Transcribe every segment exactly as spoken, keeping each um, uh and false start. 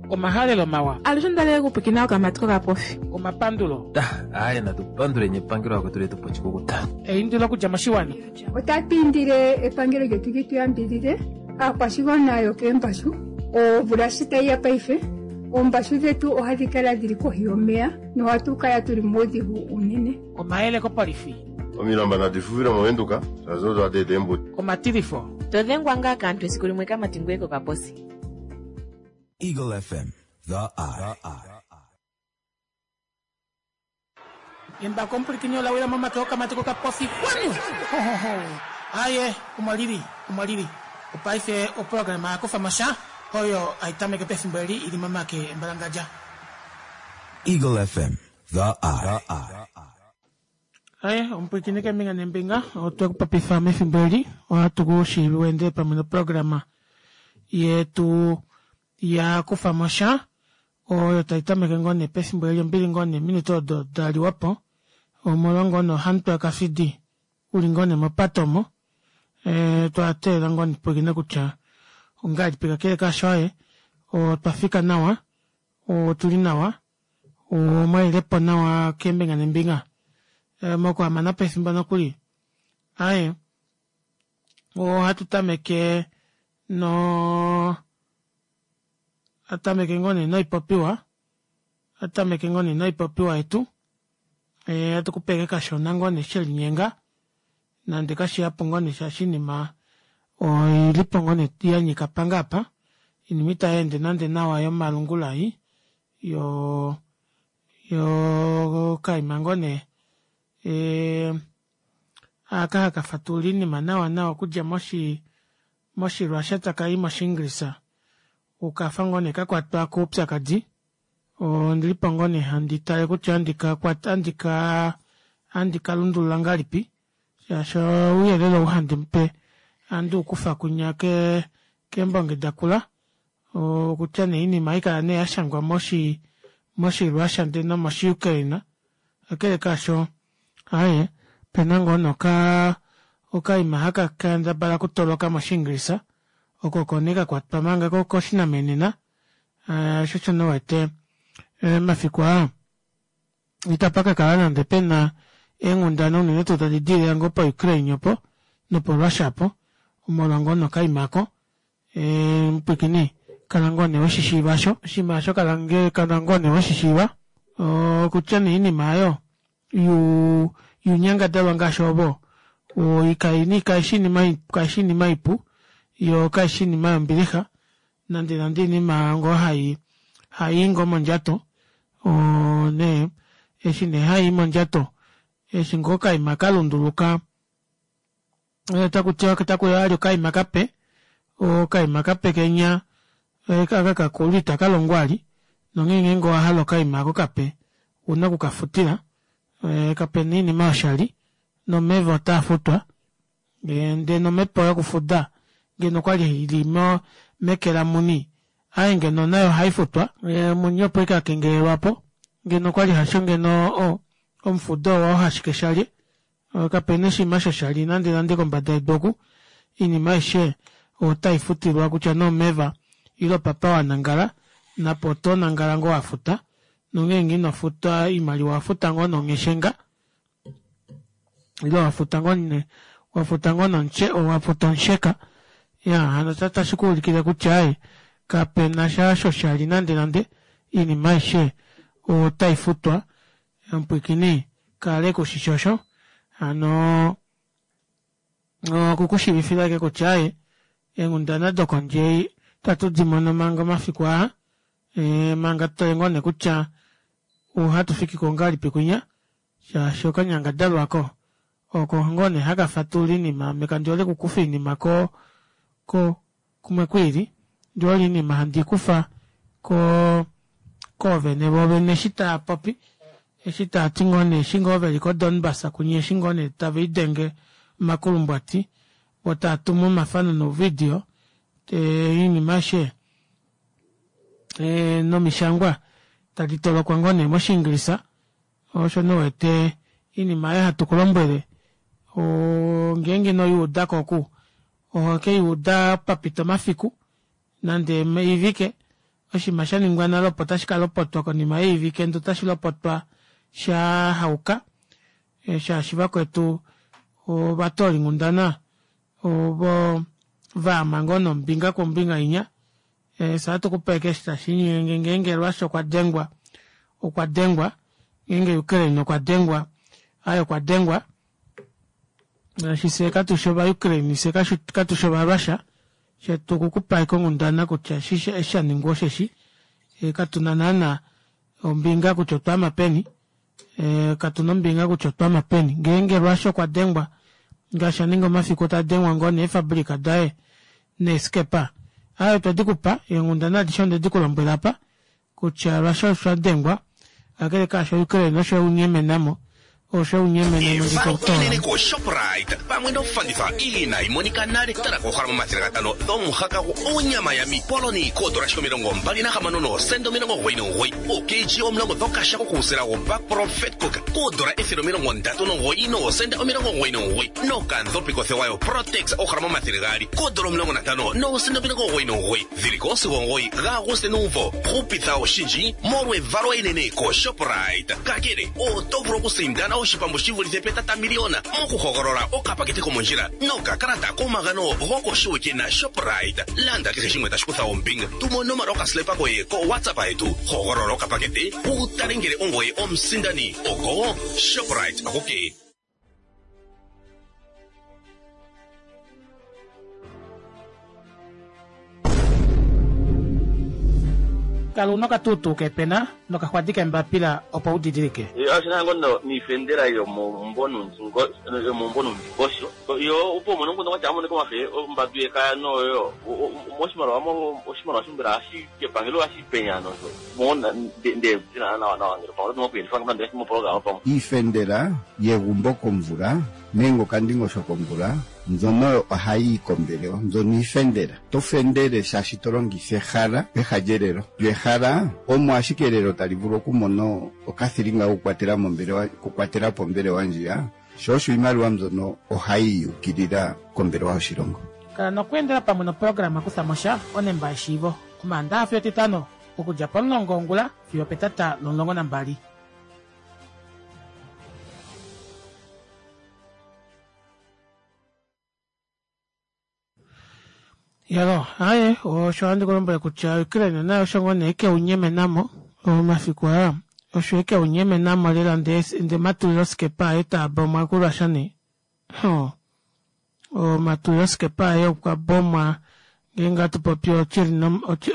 Omahalelo mawa. Alushe ondalele kupwikina okamati kokapofi. Omapandulo. Aaye natu panduleni epangelo lakwetu letu po oshikukuta. Eindilo okudja moshiwana. Otatu indile epangelo lyetu li tu yambidhidhe aakwashigwana yokeembashu. Omvula shi tayi ya paife, oombashu dhetu ohadhi kala dhili kohi yomeya nohatu kala tuli muudhigu uunene. Omayele kopolifi. Omilamba nadi fufile mOvenduka, shaashi odo hadi eta eembuto. Omatilifo. To dhengwa ngaa kaantu esiku limwe kamati ngoye kokaposi. Eagle F M, The Eye. Embako omupulikini ola wila momake okamati kokapofi kwanu. Ho, ho, ho. Aye, omo lili, omo lili. Opaife oprograma ya kufa mo sha oyo hai tameke pefimbo eli ili momake embalangadja. Eagle F M, The Eye. Aye, omupwilikini keembinga neembinga, otwe ku popifa mefimbo eli, ohatu ku shiivi wende pamwe noprograma yetu ya kufa mo sha, oyo tai tameke ngoo nee pefimbo eli ombili ngoo nee minute odo da liwa po, omolwa ngoo nee ohamutwe wakafidi uli ngoo nee mopato omo, e, twa teelela ngoo nee pwilikine kutya ongahelipi kakele kaasho aye, otwa fika nawa, otuli nawa, omwalilepo nawa keembinga neembinga. E, mokuhamana pefimbo nokuli aye ohatu tameke no atameke ngoo nee noipopiwa atameke ngoo nee noipopiwa yetu e, atu kupeke kashona ngoo nee shelinyenga nande kashihapu ngoo nee shaashi inima oilipo ngoo nee yanyika panga apa inima itayeende nande nawa yomalungula ei yo yo kaima ngoo nee e, aka haka fatulula oinima nawa nawa okudja moshi moshirussia takai moshienglisa ukafa ngoo nee kakwatwa koupyakadi ondilipo ngoo nee handi tale kutya andika kwata andika andika lundulula ngahelipi shaashi ouyelele ou handi mupe handi ukufa kunya ke keembonge dakula okutya nee oinima haikala nee yashangwa moshi moshirussia ndee nomoshiukraine kakele kaasho aaye opena ngoo noka okaima haka kendabala okutoloka moshienglisa oko oko nee kakwatwa manga koshinamenena osho osho nee uwete mafiku aa itapa kakala nande pena eenghundana unene tuu tadi dilile ngoo po Ukraine opo nopo Russia opo omolwa ngoo nokaima ako mupwiikini kala ngoo nee weshishiiva osho oshinima osho kala ngoo nee weshishiiva okutya nee oinima aayo yunyangadalwa ngaashi ovo kaishi inima ipu yoo kaishi inima yombilixa nande nande oinima ngoo hai hayi ngoo mondjato nee eshi nee hayi mondjato eshi ngoo okaima kalunduluka takutiwa takuya vali okaima kape okaima kape kenya aka kakulu ita kalongo vali nonghee ngeenge owahala okaima aako kape ouna okukafutila kapena oinima yoshali nomeva otaafutwa ndee nomhepo yokufuda ngeno okwali ili meke lamuni aaye ngeno nayo ohaifutwa muni opo ashike akengelelwapo ngeno okwali hasho ngeno omufudo oo hashike shalye kapena oshinima shoshali nande nande kombada yedu oku oinima aishe otaifutilwa kutya nee omeva ile opapa wanangala napo otonangala ngoo wafuta nongeenge inofuta oimaliwa owafuta ngoo nongheshenga ile wafuta ngoo wafuta ngoo wafuta omusheka iya hano otashi kuulikile kutya aaye kapena sha shoshali nande nande oinima aishe otaifutwa omupwiikini kala ekushishi osho hano okukushiivifila ashike kutya aaye eenghundana dokondje itatu dimono manga omafiku aa e, manga tutale ngoo nee kutya ohatu fikiko ngahelipi kwinya shaashi okanyangadalwa ako oko ngoo nee haka fatulula oinima ame kandi hole okukufa oinima ko ko kumwe kwiili ndihole oinima handi ikufa ko koovene voovene eshi taapopi eshi taati ngoo nee eshi ngoo veli ko Donbass kunya eshi ngoo nee tave lidenge omakulumbwati vo taatumu omafano nouvidio oinima aishe nomishangwa tadi tolokwa ngoo nee moshiingilisa osho nee uwete oinima aayo hatu kulombwele ngeenge inoyuudako oku ohokeyuuda papita omafiku nande oivike Oshinima shaningwa nale opo tashi kalopotwa konima yeevike ndee otashi lopotwa shahauka shaashi vakwetu ovatoolinghundana ovo vaama ngoo nee kombinga inya fyee ohatukupe ashike eshi tashiinyenge ngeenge Russia okwa dengwa okwa dengwa ngeenge Ukraine okwa dengwa aaye okwa dengwa shaashi fyee katushi ova Ukraine fyee katushi ova Russia shetu okukupa ashike onghundana kutya eshi shaningwa osheshi katuna naana ombinga kutya otwaama peni katuna ombinga kutya otwaama peni ngeenge Russia okwa dengwa ngaashi aninga omafiku tadengwa ngoo nee eefabrika daye neeskepa aaye otwedikupa eenghundana adishe ondedi kulombwela aapa kutya Russia osho adengwa kakele kaasho Ukraine osho eunyemenamo osho eunyemenamo Evalo enene koShoprite pamwe nofanditha inayi monika nale. Tala koohalama omathele gatano dhomuhaka onyama ya mipoloni koondola ashike omilongo mbali nahamano noosenda omilongo omugoyi nomugoyi. OoKG omulongo dhokashako kuusila woBakpro Vetkoek koondola ethele omilongo ndatu nomugoyi noosenda omilongo omugoyi nomugoyi. Nokandhopi kothewa yoProtex oohalama omathele gaali koondola omulongo nantano noosenda omilongo omugoyi nomugoyi. Dhili ko sigo omugoyi gaAguste nuumvo. Hupitha oshindji molwevalo enene koShoprite. Kakele oto vulu okusindana oshipambu shi vulithe petatamiliyona mokuhogolola okapakete komondjila nokakalata komagano gokoshiwike naShoprite. Landa kehe shimwe tashi kutha ombinga. Tuma onomola yokaslepa koye koWhatsApp yetu. Hogolola okapakete wu tale ngele ongoye omusindani. Oko Shoprite akuke. Kala una okatuutuu keepena nokaxwadi keembapila opo u didilike. Oshina ngo no niifendela yomomumvo nuundingosho yo opo umone omukundu gwatya amone komafe ombambi yekaya noyo moshimaliwa oshimaliwa shombela hashi kepangelo hashi penya nosho mona nde zina nawa nawa ngele pamwe oto kuyelifa ngamba moprograma pamwe. Iifendela yegumbo komvula nenge okandingosho komvula mbyono ohayi yi kombelewa, mbyono iifendela. To fendele shaashi to longitha ehala peha lyelelo. Lyo ehala omo ashike elelo tali vulu okumona okathilinga kokukwatela mombelewa, okukwatela po ombelewa ndjiya, sho osho iimaliwa mbyono ohayi yukilila kombelewa yoshilongo. Kala nokweendela pamwe noprograma Kutha mo sha onemba yeshiivo Omaandaxa fiyo Etitano okudja pomulongo wongula fiyo opetata lomulongo nambali. Yalo, aaye, osho handi ku lombwele kutya Ukraine naye osho ngoo nee keunyemenamo omafiku aa, osho ekeunyemenamo lela ndee ndee omatuliloskepa aye taa bomwa kuRussia nee. Ho, omatuliloskepa aye okwa bomwa ngeenge hatu popi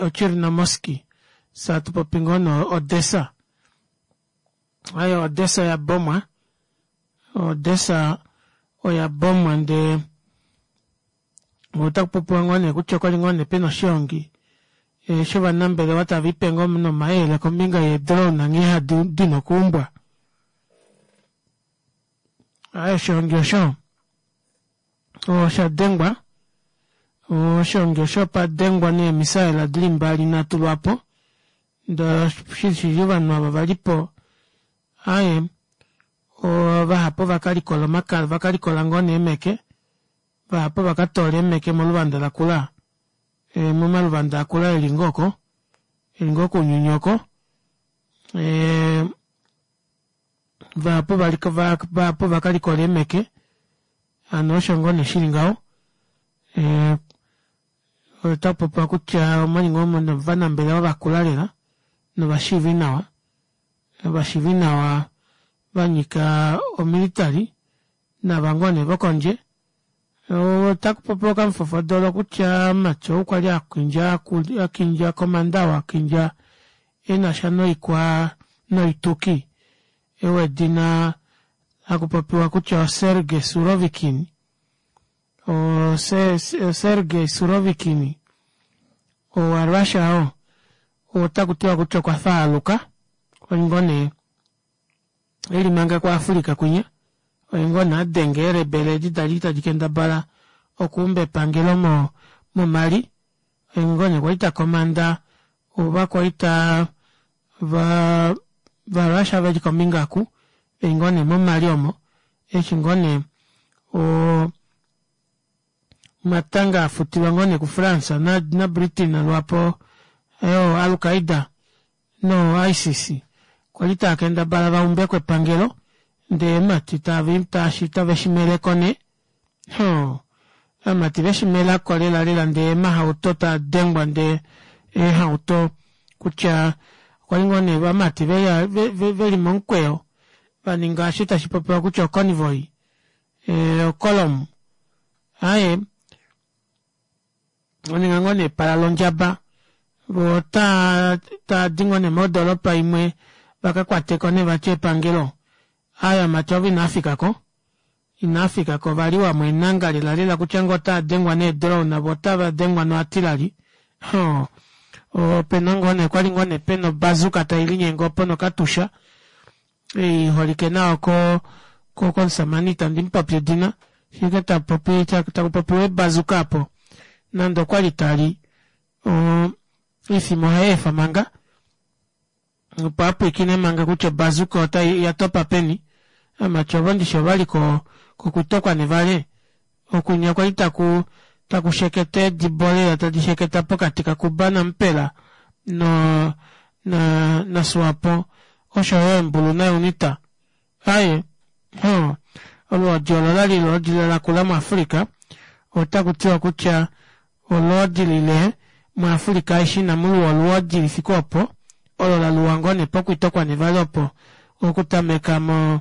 oChernomorsk, fye hatu popi ngoo nee Odessa. Aaye Odessa ya bomwa, Odessa oya bomwa ndee otaku popiwa ngoo nee kutya okwali ngoo nee pena oshiongi shovanambelewa tava ipe ngoo nomayele kombinga yeedrone nghee hadi dina okuumbwa. Aaye oshiongi osho osha dengwa, oshiongi osho opa dengwa nee emisaela dili mbali nhatu lwaapo ndee shili ovanhu ava valipo aaye vahapu ovakalikola omakala vakalikola ngoo nee eemeke vahapu ovakatoola eemeke moluvanda lakula momaluvanda akula eli ngoo oko eli ngoo kounyuni oko vahapu vahapu ovakalikola eemeke hano osho ngoo nee shili ngaho otakupopiwa kutya omwali ngoo muna ovanambelewa vakula lela novashiivi nawa ovashiivi nawa vanyika omilitary nava ngoo nee vokondje otakupopiwa okamufofodolo kutya mumati ou kwali akindja akindja komanda wakindja enasha noikwa noituki wedina hakupopiwa kutya oSergei Surovikin oSergei Surovikin owaRussia oo otakutiwa kutya okwa faaluka okwali ngoo nee eli manga kuAfrica kwinya oye ngoo nee adenga eelebele edi dali tadi kendabala okuumba epangelo mo moMali oye ngoo nee kwali takomanda ovakwaita va vaRussia veli kombinga oku veli ngoo nee moMali omo eshi ngoo nee oo omatanga afutilwa ngoo nee kuFrance naBritain lwaapo Oo Al-Qaeda no ISIS kwali taakendabala vaumbeko epangelo ndee mati tave shimeleko nee hoo amati veshimelako lela lela ndee emahauto taadengwa ndee eehauto kutya okwali ngoo nee ovamati veli momukweyo vaninga eshi tashipopiwa kutya o convoy ocolumn aaye vaninga ngoo nee epala londjaba voo otaa taadi ngoo nee modoropa imwe vakakwateko nee vati epangelo aaye ovamati ovo inaafikako inaafikako ovaliwamo eenanga lela lela kutya ngoo otaadengwa nee drone voo otavadengwa no artillery hoo opena ngoo nee okwali ngoo nee pena obazuka tailinyenge opo nokatusha iholike nawa ko komushamane ita ndimupopi edina shaike tapopi takupopiwa eebazuka aapo nande okwali tali oo oifima ohayeefa manga opo apwiikine manga kutya obazuka oyatopa peni ovamati ovo ndishi ovali kokwito kwanevale okunya kwali taku takusheketa eedibo lela tadi sheketa pokati ka cuba namupela noo naswapo oshoyo eembulu na unita aaye hoo olwoodi olo olali olwoodi lakula mu africa otakutiwa kutya olwoodi lile mu africa aishe inamuluwa olwoodi lifike oopo olo laluwa ngoo nee pokwito kwanevale opo okutameka moo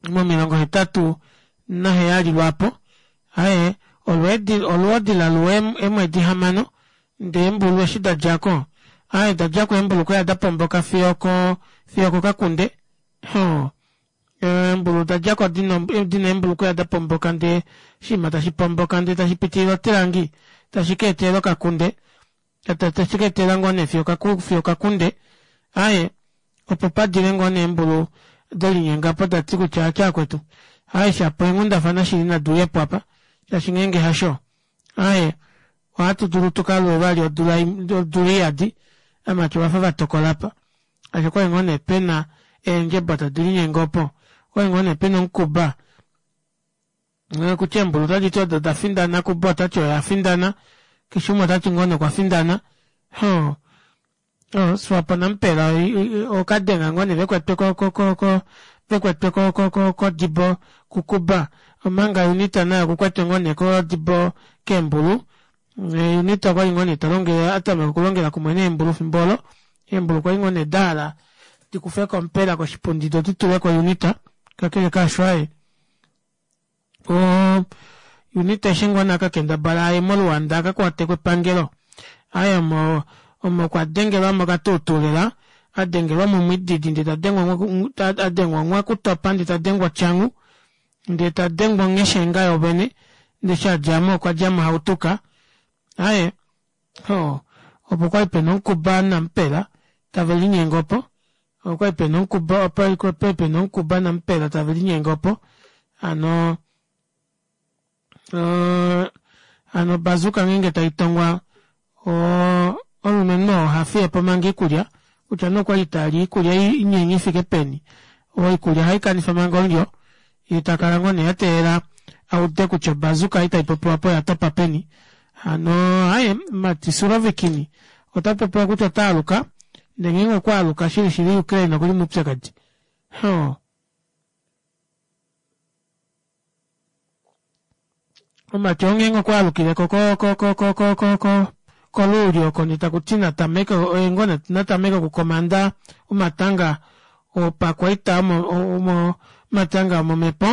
momilongo hetatu naheyali lwaapo aaye olwoodi laluwa eemwedi hamano ndee eembulu eshi dadjako aaye dadjako eembulu okwali dapomboka fiyo okoo fiyo okokakunde hoo eembulu odadjako dina eembulukweya dapomboka ndee oshiima tashipomboka ndee tashipitilile otilangi tashikeetela okakunde tashikeetela ngoo nee fiyo okakunde aaye opo padile ngoo nee eembulu delinyengapo dati kutya aache vakwetu aaye shapo eenghundafana shili naduuyepo aapa shaashi ngeenge hasho aaye ohatu dulu tukaluwe vali odula iyadi ovamati ovafa vatokola aapa shaashi okwali ngoo nee pena eendjebo tadi linyenge opo okwali ngoo nee pena omukuba kutya eembulu otaditi odo dafindana cuba otati oye afindana keshe umwe otati ngoo nee okwafindana hoo swapo namupela okadenga ngoo nee vekwetwe ko ko ko vekwetwe kodibo ku cuba omanga unita naye okukwetwe ngoo nee kodibo keembulu unita okwali ngoo nee talongele atameka okulongela kumwe neembulu efimbo oolo eembulu kwali ngoo nee dahala dikufeko mupela koshipundi doo dituleko unita kakele kaasho aaye oo unita eshi ngoo nee akakendabala aye moluanda akakwateko epangelo aaye omo omo kwadengelwamo okatuutuu lela adengelwamo omwiididi ndee tadengwa adengwa nghwakutopa ndee tadengwa otyangu ndee tadengwa ongheshenga yoovene ndee eshi adjamo okwadjamo ahautuka aaye hoo opo kwali pena omukuba namupela tavelinyenge opo okwali pena omukuba okwali pena omukuba namupela tavelinyenge opo hano hano obazuka ngeenge taitongwa oo omulumenhu oo ohafiyepo manga oikulya kutya nee okwali tali oikulya inyenye ifike peni oikulya ohaikanifa manga omulyo yeetakala ngoo nee ateelela aude kutya obazuka ei taipopiwa aapa oyatopa peni hano aaye mumati surovikin otapopiwa kutya otaaluka ndee ngeenge okwaaluka shili shili ukraine okuli moupyakadi hoo mumati ou ngeenge okwaalukileko ko- ko- ko- ko koluuli oko ndee takuti natameke oye ngoo natameke okukomanda omatanga opakwaita omatanga omomepo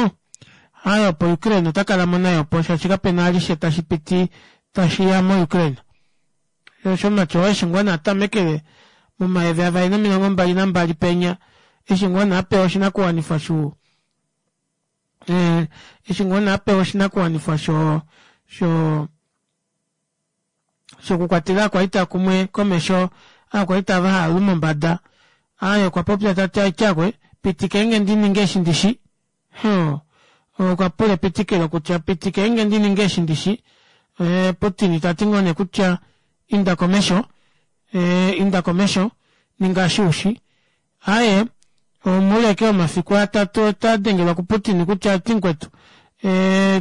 aaye opo ukraine otakalamo naye opo shaashi kapena vali sha tashipiti tashiya mo ukraine shoo osho mumati oo eshi ngoo nee atamekele momayovi avali nomilongo mbali nambali penya eshi ngoo nee apewa oshinakuwanifwa shuu eshi ngoo nee apewa oshinakuwanifwa shoo shoo shokukwatela ovakwaita kumwe komesho ovakwaita ava havalu mombada aaye okwapopya tati aikyaakwe pitikenge ndininge eshi ndishi hoo okwapula epitikilo kutya pitikenge ndininge eshi ndishi putin tati ngoo nee kutya inda komesho inda komesho ninga eshi ushi aaye moule ashike womafiku atatu otadengelwa ku putin kutya oti mukwetu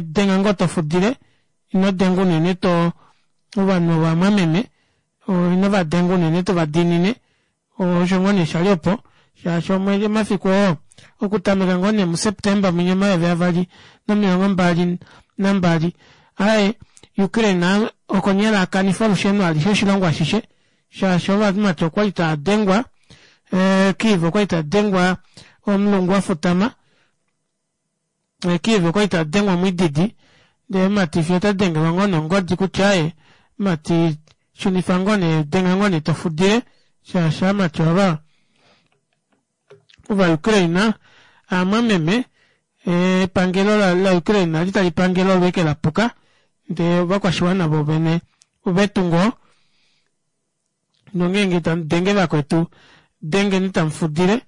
denga ngoo tofudile ino denga unene too ovanhu ovamwameme Ino vadenga unene tovadinine osho ngoo nee shali opo shaashi omwedi omafiku oo okutameka ngoo nee mu September mwinya omayovi avali nomilongo mbali nambali aaye Ukraine okonyala akanife olusheno alishe oshilongo ashishe shaashi ovamati okwali taadengwa Kyiv okwali tadengwa omulungu wafutama Kyiv okwali tadengwa omwiididi ndee mumati fiyo otadengelwa ngoo nongodi kutya aaye mumati shunifa ngoo nee denga ngoo nee tofudile shaashi ovamati ava ova Ukraine ovamwameme epangelo la Ukraine kwali talipangele olo ashike lapuka ndee ovakwashiwana voovene ovetu ngoo nongenge tamudenge vakwetu dengeni tamufudile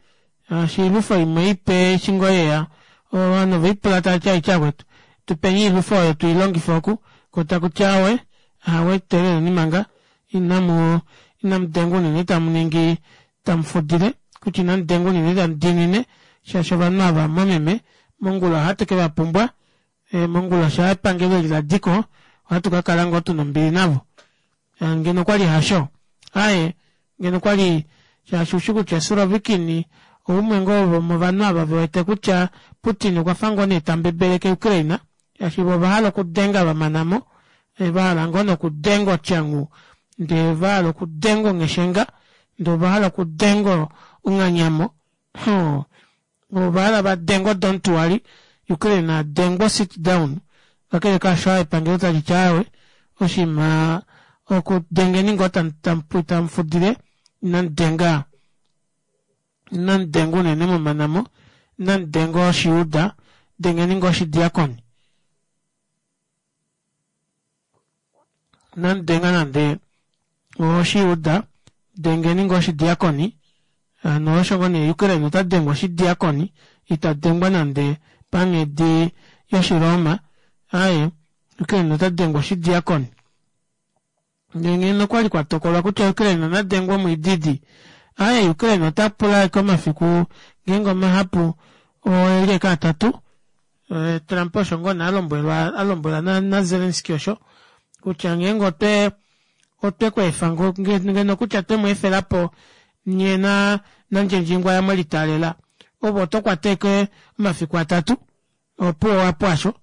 shaashi oilwifo imwe ipe eshi ngoo yeya ovanhu ovelipula tavati haike vakwetu tupeni oilwifo oyo tuilongife oku koo takuti aawe aawe teeleleni manga inamu inamudenga unene tamuningi tamufudile kutya inamudenga unene tamudinine shaashi ovanhu ava ovamwameme mongula ohatu kevapumbwa mongula shaa epangelo eli ladiko ohatu kakala ngoo tuna ombili navo ngeno okwali hasho aaye ngeno okwali shaashi ushi kutya Surovikin oumwe ngoo vomovanhu ava vewete kutya Putin okwafa ngoo nee tambebeleke Ukraine shaashi voo ovahala okudenga vamanamo vahala ngoo nokudenga otyangu ndee vahala okudenga ongheshenga ndee ovahala okudenga onghanyamo hoo ovahala vadenge o don't worry Ukraine adengwe o sit down kakele kaasho epangelo taliti aawe oshiima okudengeni ngoo tamufudile inamudenga inamudenga unene mwamanamo inamudenga oshijuda dengeni ngoo oshidiakoni inamudenga nande oshijuda dengeni ngoo oshidiakoni hano osho ngoo nee Ukraine otadengwa oshidiakoni itadengwa nande panghedi yoshiroma aaye Ukraine otadengwa oshidiakoni ndee ngeno okwali kwatokolwa kutya Ukraine nadengwe omwiididi aaye Ukraine otapula ashike omafiku ngeenge omahapu oeli ashike atatu Trump osho ngoo nee alombwelwa alombwela na Zelensky osho kutya ngeenge otwe otwekweefa ngeno kutya twemweefelapo nyee nandjendjingwa mwelitaalela ove otokwata ashike omafiku atatu opuwo owapu aasho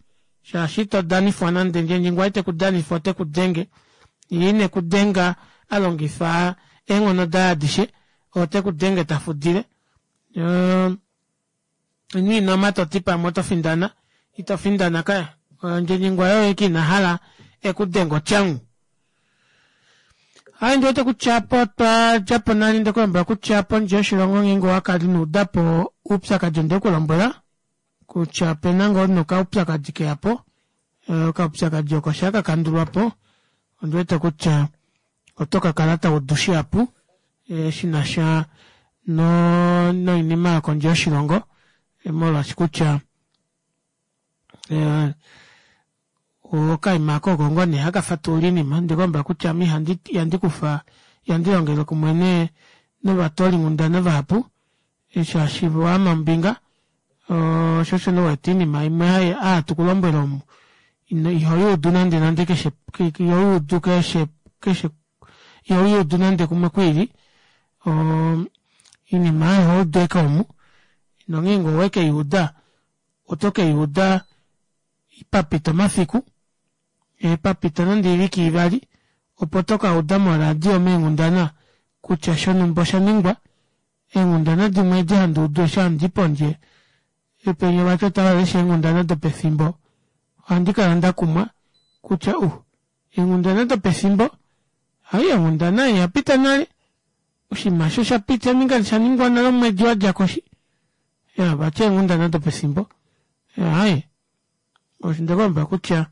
shaashi ito danifwa nande ndjendjingwa itekudanifa otekudenge yee inekudenga alongifa eenghono daye adishe otekudenge tafudile ino toti pamwe oto findana ito findana kaya ndjendjingwa oye ashike inahala ekudenge otyangu. Aaye ondiwete kutya aapo otwadjapo nale ndekulombwela kutya pondje yoshilongo ngeenge owakala inoudapo oupyakadi ondekulombwela kutya opena ngoo nee okaupyakadi keyapo okaupyakadi oko shaa kakandulwapo ondiwete kutya oto kakala taudu shihapu shinasha noinima yokondje yoshilongo molwaashi kutya okaima aako oko ngoo nee haka fatulula oinima ondekulombwela kutya ame ihandi kufa ihandi longele kumwe nee novatoolinghundana vahapu shaashi voo ovaama ombinga shoo osho nee uwete oinima imwe oyo hatukulombwele omu ihoyuudu nande nande keshe ihoyuudu keshe keshe ihoyuudu nande kumwe kwiili oo oinima aayo ohoudu ashike omu nongeenge owekeyuuda oto keyuuda papita omafiku papita nande oivike ivali opo tokauda mo radio meenghundana kutya shonumba oshaningwa eenghundana dimwe edi handuudu eshi handii pondje penya vati otavalesha eenghundana dopefimbo ohandi kala ndakumwa kutya uh eenghundana dopefimbo hai onghundana ei oyapita nale oshinima aasho oshapita oshaningwa nale omwedi wadjako eshi iyaa vati eenghundana dopefimbo aaye ondekulombwela kutya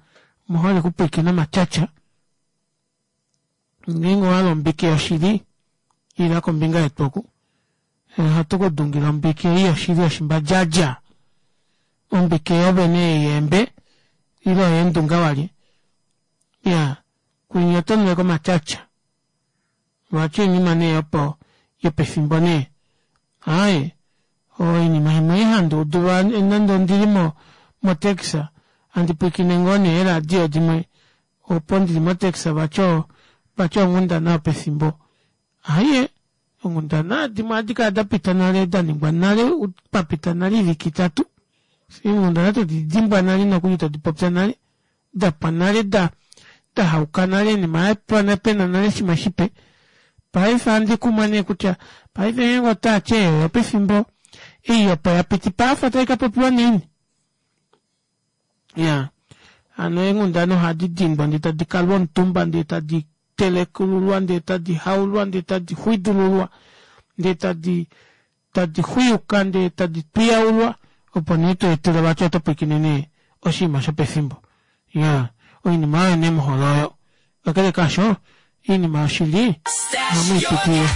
omuhole okupwiikina omatyatya ngeenge owahala ombike yoshili ila kombinga yetu oku ohatu kudungile ombike ei yoshili yoshimbadjadja ombike yoovene ei yeembe ile oyeendunga walye iyaa kwinya otonu ashike omatyatya vati oinima nee opo yopefimbo nee aaye oinima imwe ei handuudu nande ondili mo taxi handi pwiikine ngoo nee eeradio dimwe opo ndili mo taxi vati Vati onghundana yopefimbo. Aaye, onghundana dimwe ohadi kala dapita nale daningwa nale papita nale oivike itatu. Eenghundana todi dimbwa nale nokuli todi popya nale dapwa nale da dahauka nale oinima yapwa pena nale shimwe shipe. Paife ohandi kumwa nee kutya paife ngeenge otaati ei oyopefimbo ei opo yapiti paife otaikapopiwa naini? Iyaa hano eenghundana ohadi dindwa ndee tadi kalwa omutumba ndee tadi telekululwa ndee tadi haulwa ndee tadi xwidululwa ndee tadi tadi xwiyuka ndee tadi twiyaulwa opo nee tweetelwa vati oto pwiikine nee oshinima shopefimbo. Iyaa oinima oyo nee muhole oyo kakele kaasho oinima yoshili ohamwiipitile.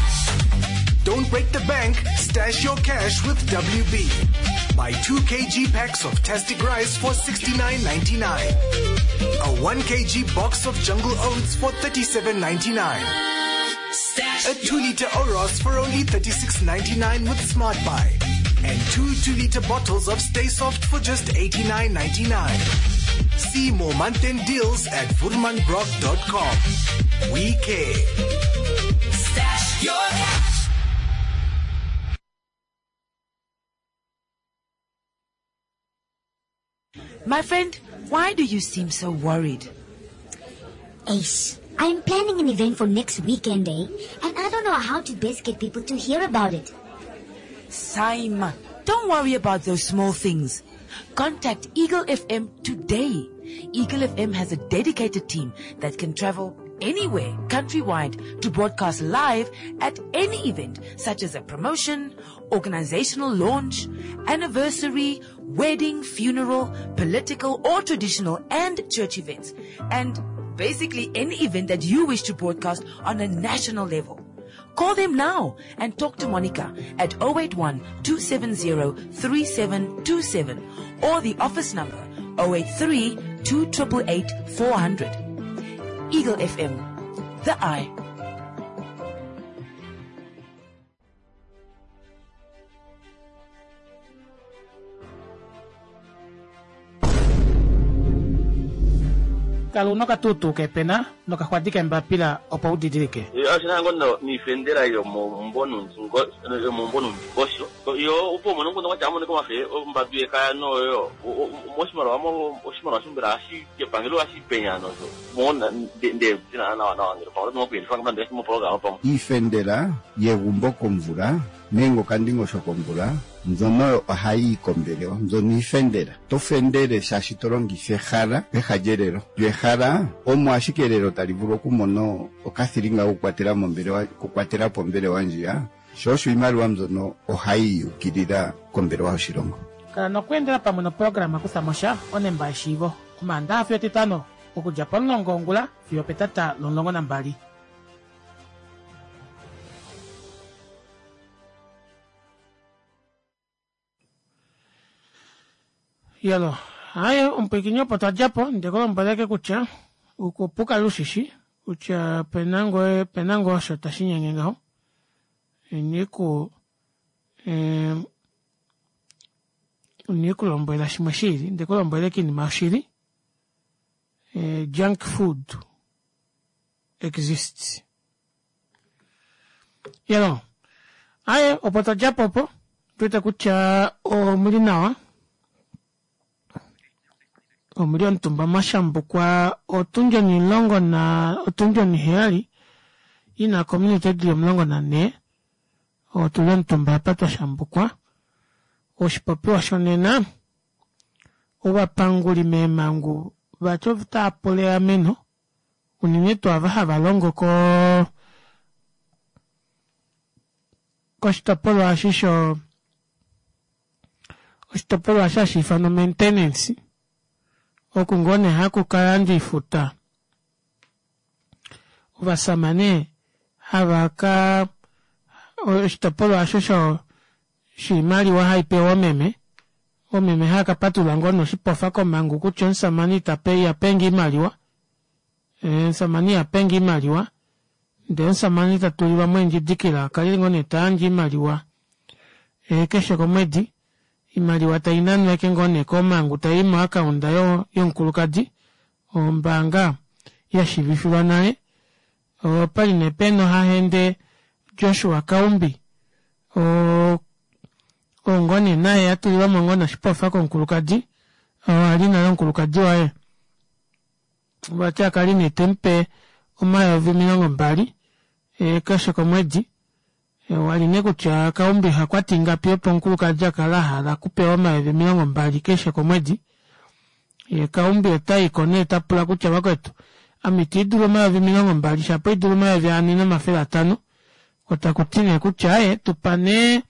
Don't break the bank, stash your cash with W B. Buy two kilogram packs of Tastic rice for sixty-nine ninety-nine. A one kilogram box of Jungle Oats for thirty-seven ninety-nine. A two liter Oros for only thirty-six ninety-nine with Smart Buy. And two two liter bottles of Stay Soft for just eighty-nine ninety-nine. See more month-end deals at voermanbrock dot com. We care. Stash your cash. My friend, why do you seem so worried? Ace, I'm planning an event for next weekend, eh? And I don't know how to best get people to hear about it. Saima, don't worry about those small things. Contact Eagle F M today. Eagle F M has a dedicated team that can travel anywhere countrywide to broadcast live at any event such as a promotion, organizational launch, anniversary, wedding, funeral, political or traditional and church events. And basically any event that you wish to broadcast on a national level. Call them now and talk to Monica at oh eight one two seven zero three seven two seven or the office number oh eight three two eight eight four hundred. Eagle F M, the eye. Kala una okatuutuu kepena nokaxwadi kembapila opo udidilike. Ashina ngo niifendela yomombo nomundingosho yo opo umone nguno kwatya amoneka omafe ombadu yekaya noyo moshimaliwa oshimaliwa shombela hashi kepangelo hashi penya nosho mona nde nawa nawa ngele pamwe oto mokuendifanga moprograma pamwe. Iifendela yegumbo komvula nenge okandingosho komvula mbyono ohayi yi kombelewa mbyono iifendela to fendele shaashi to longitha ehala peha lyelelo lyo ehala omo ashike elelo tali vulu okumona okathilinga kokukwatela mombelewa kukwatela po ombelewa ndjiya sho osho iimaliwa mbyono ohayi yukilila kombelewa yoshilongo. Kala nokweendela pamwe noprograma kuthamosha onemba yeshiivo omaandaxa fiyo etitano okudja pomulongo wongula fiyo petata lomulongo nambali. Yalo, haye omupwiikini opo twadjapo ndekulombweleke kutya opo ukale ushishi kutya opena ngoo opena ngoo osho tashinyenge ngaho iniku inikulombwela shimwe shiili ndekulombweleke oinima yoshili. Junk food exists. Yalo, aye opo twadjapo opo tuwete kutya omuli nawa omuli omutumba mwashambukwa otundi onimulongo na otundi oniheyali ina kominute dili omulongo nanhee otuli omutumba apa twashambukwa. Oshipopiwa shonena ovapanguli meemangu vati otaapula eameno unene tuu ava hava longo koo koshitopolwa eshi sho oshitopolwa eshi hashiifanwa maintenance oku ngoo nee haku kayandjwa oifuta ovasamane havaka oshitopolwa aasho sho shimaliwa haipewa oomeme oomeme haakapatulula ngoo nee oshipofa komangu kutya omusamane itape ihapenge oimaliwa omusamane ihapenge oimaliwa ndee omusamane tatulilwamo eendjidikila akale ngoo nee tayandje oimaliwa keshe komwedi oimaliwa tainanwa ashike ngoo nee komangu tayi mo account yomukulukadi ombaanga yashiivifilwa nale. Opali nee pena ohahende Joshua Kaumbi oo oo ngoo nee naye atulilwamo ngoo nee oshipofa komukulukadi oo ali nale omukulukadi waye vati akali nee temupe omayovi omilongo mbali keshe komwedi wali nee kutya Kaumbi ohakwata ingapi opo omukulukadi akale ahala okupewa omayovi omilongo mbali keshe komwedi yee Kaumbi otayiko nee tapula kutya vakwetu ame itiidulu omayovi omilongo mbali shapo haidulu omayovi anhe nomafele atanho koo takuti nee kutya aaye tupa nee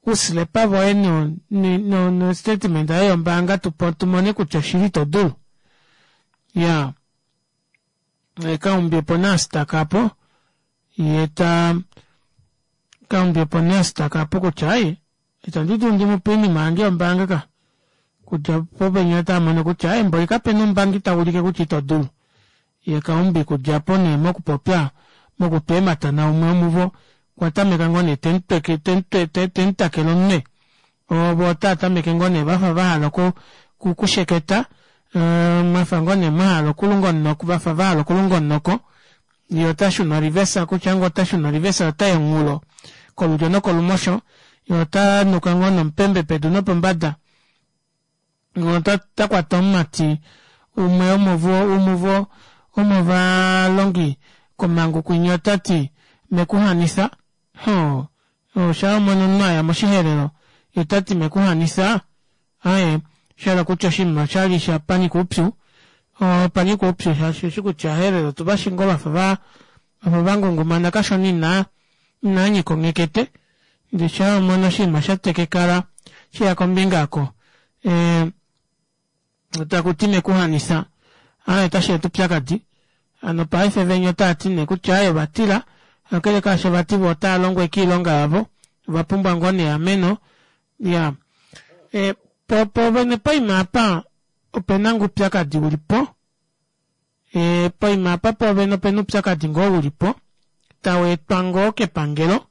ouslepa voye no no statement yoye yombaanga tumone kutya oshili itodulu iyaa Kaumbi opo nee astaka aapo yeeta Kaumbi opo nee astaka aapo kutya aaye itandi dulu ndimupe oinima yange yombaanga ka okudja opo venya otaamono kutya aaye mboli kapena oumbangi taulike kutya itodulu yee Kaumbi okudja aapo nee mokupopya mokutwa eemata naumwe womuvo okwa tameka ngoo nee temutakele omunwe voo otaatameke ngoo nee vafa vahala okusheketa mwafa ngoo nee mwahala okulunga omunoko vafa vahala okulunga omunoko yee otashuna o reverse kutya ngoo otashuna o reverse otayi omunghulo kolulyo nokolumosho yee otanuka ngoo nomupembe pedu nopombada otakwata omumati umwe womuvo womovalongi komangu kwinya otati mekuhanitha hoo shaawamono omunhu aya moshihelelo yee otati mekuhanitha aaye oshahala kutya oshinima oshali shanyika oupyu opanyika oupyu shaashi oushi kutya ovaherero otuvashi ngoo vafa vangungumana kashona inaa inanyika onghekete ndee shaa wamono oshinima shatekekala sheya kombinga aako ee takuti mekuhanitha aaye otasheeta oupyakadi hano paife venya otaati nee kutya aaye ovatila kakele kaasho vati voo otaalongo ashike oilonga yavo ovapumbwa ngoo nee eameno iyaa poo poovene poima aapa opena ngoo oupyakadi ulipo ee poima aapa poovene opena oupyakadi ngoo ulipo taweetwa ngoo kepangelo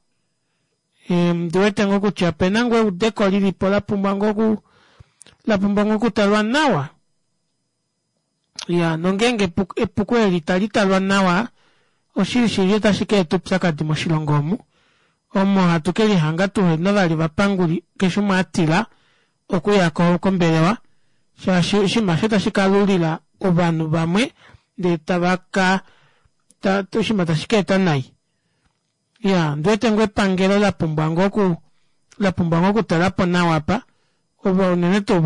ondiwete ngoo kutya opena ngoo eudeko lilipo lapumbwa ngoo okuu lapumbwa ngoo okutalwa nawa iyaa nongenge epuko eeli italitalwa nawa oshili shili otashi kaeta oupyakadi moshilongo omu omo hatu kelihanga tuhena vali ovapanguli keshe umwe atila okuya kombelewa shaashi oshinima aasho ota shikalulila ovanhu vamwe ndee tavaka oshinima tashi kaeta nai iyaa ondiwete ngoo epangelo lapumbwa ngoo oku lapumbwa ngoo okutalapo nawa aapa unene tuu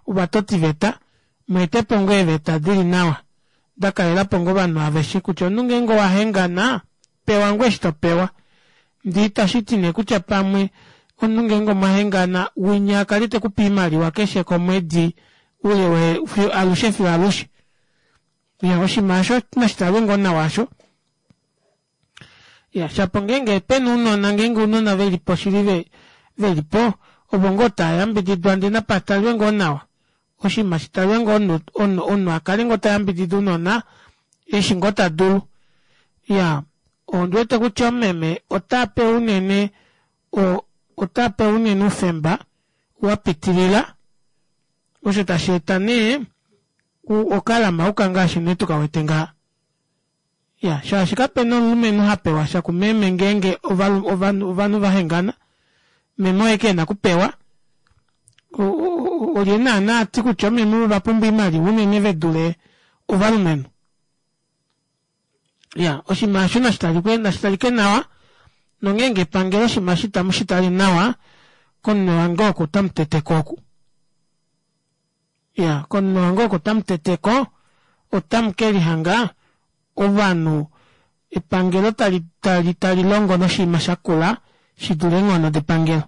ovatotiveta mweetepo ngoo eeveta dili nawa dakalelapo ngoo ovanhu aveshe kutya omunhu ngenge owahengana pewa ngoo eshi topewa ndee itashiti nee kutya pamwe omunhu ngenge omwahengana winya akale tekupe oimaliwa keshe komwedi oule alushe fiyo alushe iyaa oshinima aasho nashitalwe ngoo nawa aasho iya shapo ngenge opena ounona ngenge ounona velipo shili velipo ovo ngoo tavayambididwa ndee napatalwe ngoo nawa oshinima shitalwe ngoo omunhu akale ngoo tayambidida ounona eshi ngoo tadulu iyaa ondiwete kutya omumeme otapewa unene otapewa unene oufemba wapitilila osho tasheeta nee okalamauka ngaashi nee tukawete ngaha iyaa shaashi kapena omulumenhu hapewasha kumeme ngeenge ovanhu vahengana meme oye ashike ena okupewa olye naana ati kutya oomeme ovapumbwa oimaliwa unene vedule ovalumenhu iyaa oshinima aasho nashitalike nawa nongeenge epangelo oshinima eshi itamushitale nawa komunwe wange oku otamuteteko oku iyaa komunwe wange oku otamuteteko otamukelihanga ovanhu epangelo tali tali longo noshinima shakula shidule eenghono depangelo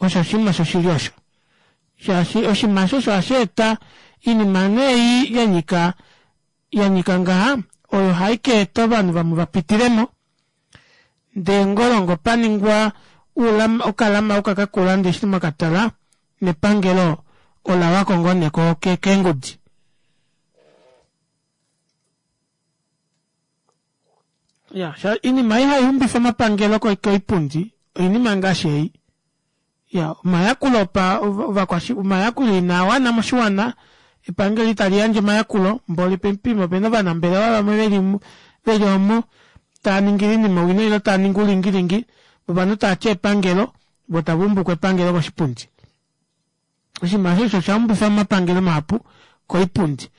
osho oshinima shoshili osho shaashi oshinima aasho osho hasheeta oinima nee ei yanyika yanyika ngaha oyo haikaeta ovanhu vamwe vapitilemo ndee ngolongo paningwa okalamauka kakula ndee eshi mwakatala nepangelo olawako ngoo nee keengudi. Iya oinima ei haixumifa omapangelo koipundi oinima ngaashi ei iya omayakulo omayakulo inaawana moshiwana epangelo italiyandje omayakulo mboli poima opena ovanambelewa vamwe veli Veli omo taaningi oinima owina ile taaningi oulingilingi ovanhu taati epangelo voo tavaumbuko epangelo koshipundi. Oshinima aasho osho oshaumbifa omapangelo mahapu koipundi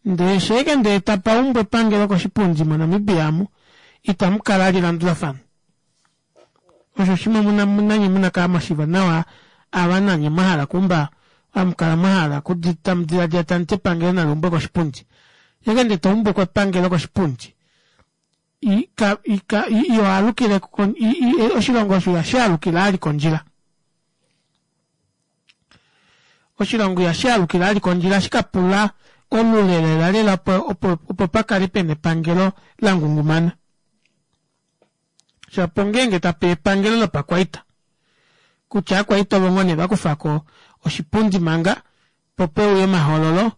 ndee shaike ndee tapaumbwa epangelo koshipundi mo Namibia aamu itamukala vali elandulafano. Osho oshima nanye muna okukala mwashiiva nawa ava nanye mwahala okuumba hamukala mwahala tamudilaadila tamuti epangelo naliumbweko koshipundi. Shaike ndee toumbuko epangelo koshipundi ihoalukile oshilongo osho ihashaalukile vali kondjila. Oshilongo ihashaalukile vali kondjila ohashikapula olule lela lela opo opo pakale pena epangelo langungumana. Shapo ongeenge tapeya epangelo lopakwaita kutya ovakwaita ovo ngoo nee vakufako oshipundi manga poo peuye omahoololo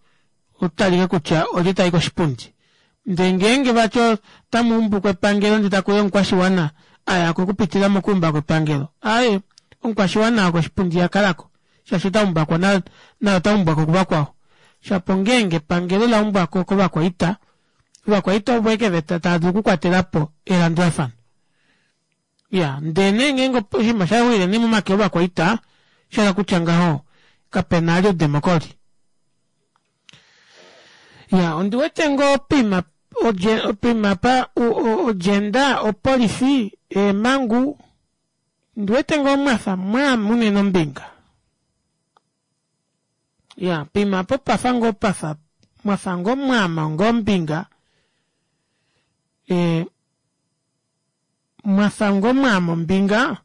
kutalike kutya olye tayi koshipundi. Ndee ngeenge vati otamuumbuko epangelo ndee takuuya omukwashiwana ayako okupitila mokuumbako epangelo aaye omukwashiwana oo koshipundi ihakalako shaashi otaumbwako naye otaumbwako kuvakwao. Shapo ongeenge epangelo laumbwako kovakwaita, ovakwaita ovo ashike taadulu okukwatelapo elandulafano. Iyaa ndee nee ngeenge oshinima oshawile nee momake ovakwaita oshahala kutya ngaho kapena vali oudemocry. Iyaa ondiwete ngoo poima poima apa o gender opolifi eemangu ondiwete ngoo mwafa mwaama unene ombinga. Iyaa poima aapo opafa ngoo pafa mwafa ngoo mwaama ngoo ombinga ee mwafa ngoo mwaama ombinga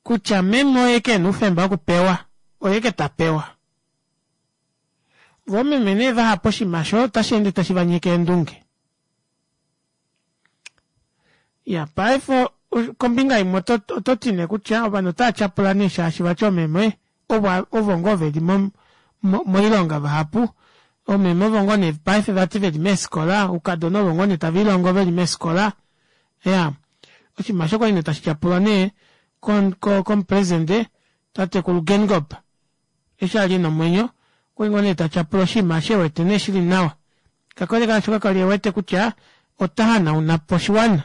kutya meme oye ashike ena oufemba wokupewa oye ashike tapewa. Voo meme nee vahapu oshinima aasho ota sheende tashivanyeke eendunge. Iyaa paife kombinga imwe ototi nee kutya ovanhu otaatyapula nee shaashi vati oomeme ovo ngoo veli moilonga vahapu oomeme ovo ngoo nee paife vati veli meefikola oukadona ovo ngoo nee taviilongo veli meefikola iyaa oshinima aasho okwali nee tashi tyapulwa nee komupresident tatekulu Geingob eshi ali ena omwenyo okwali ngoo nee tatyapula oshinima aasho ewete nee shili nawa kakele kaasho kakali ewete kutya ota hanaunapo oshiwana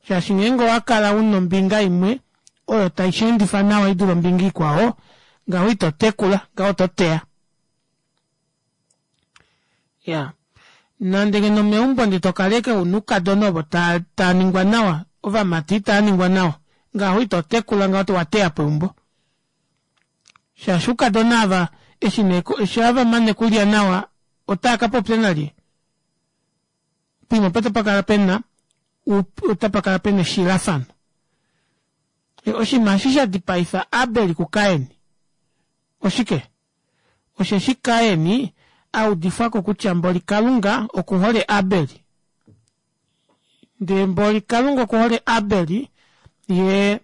shaashi ngeenge owakala una ombinga imwe oyo taisheendifa nawa idule ombinga ikwao ngaho itotekula ngaho ototeya. Iyaa nande ngeno meumbo ndee tokala ashike una oukadona ovo taaningwa nawa ovamati itaaningwa nawa ngaho itotekula ngaho owateyapo eumbo. Shaashi oukadona aava eshi nee eshi vamane okulya nawa otaakapopya nalye? Poima opo otapakala pena otapakala pena eshilafano. Oshinima eshi shadipaifa Abel ku Kain oshike? Osheshi Kain audifwako kutya mboli Kalunga okuhole Abel ndee mboli Kalunga okuhole Abel yee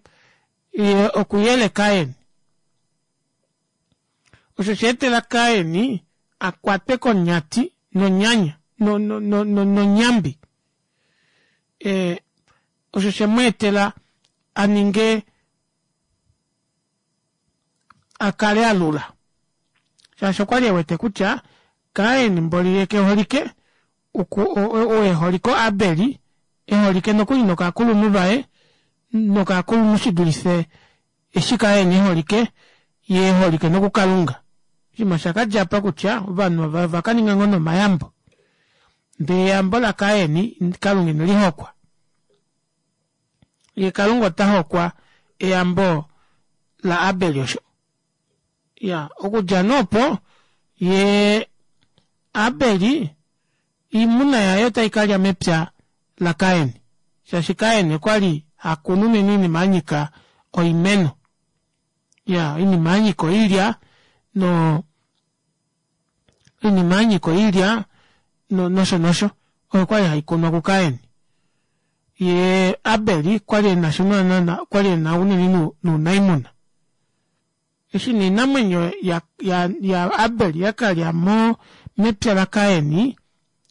yee okuyele Kain. Osho oshaetela Kain akwatwe konyati nonyanya nonyambi. Ee osho shemweetela aninge akale alula shaashi okwali ewete kutya Kain mboli yee keholike ou eholike o Abel eholike nokuli nokakulunhu vaye nokakulunhu shidulife eshi Kain eholike yee eholike nokukalunga. Oshinima oshakadja apa kutya ovanhu ovakaninga ngoo nee omayambo ndee eyambo la Kain kalunga inelihokwa. Yee kalunga otahokwa eyambo la Abel osho. Iyaa okudja nee opo yee Abel oimuna yaye otaikalya mepya la Kain shaashi Kain okwali hakunu unene oinima yanyika oimeno. Iyaa oinima yanyika oilya noo oinima yanyika oilya nosho nosho oyo kwali haikunwa ku Kain. Yee Abel okwali enasha naana okwali ena unene nounaimuna. Eshi nee oinamwenyo ya Abel yakalya mepya la Kain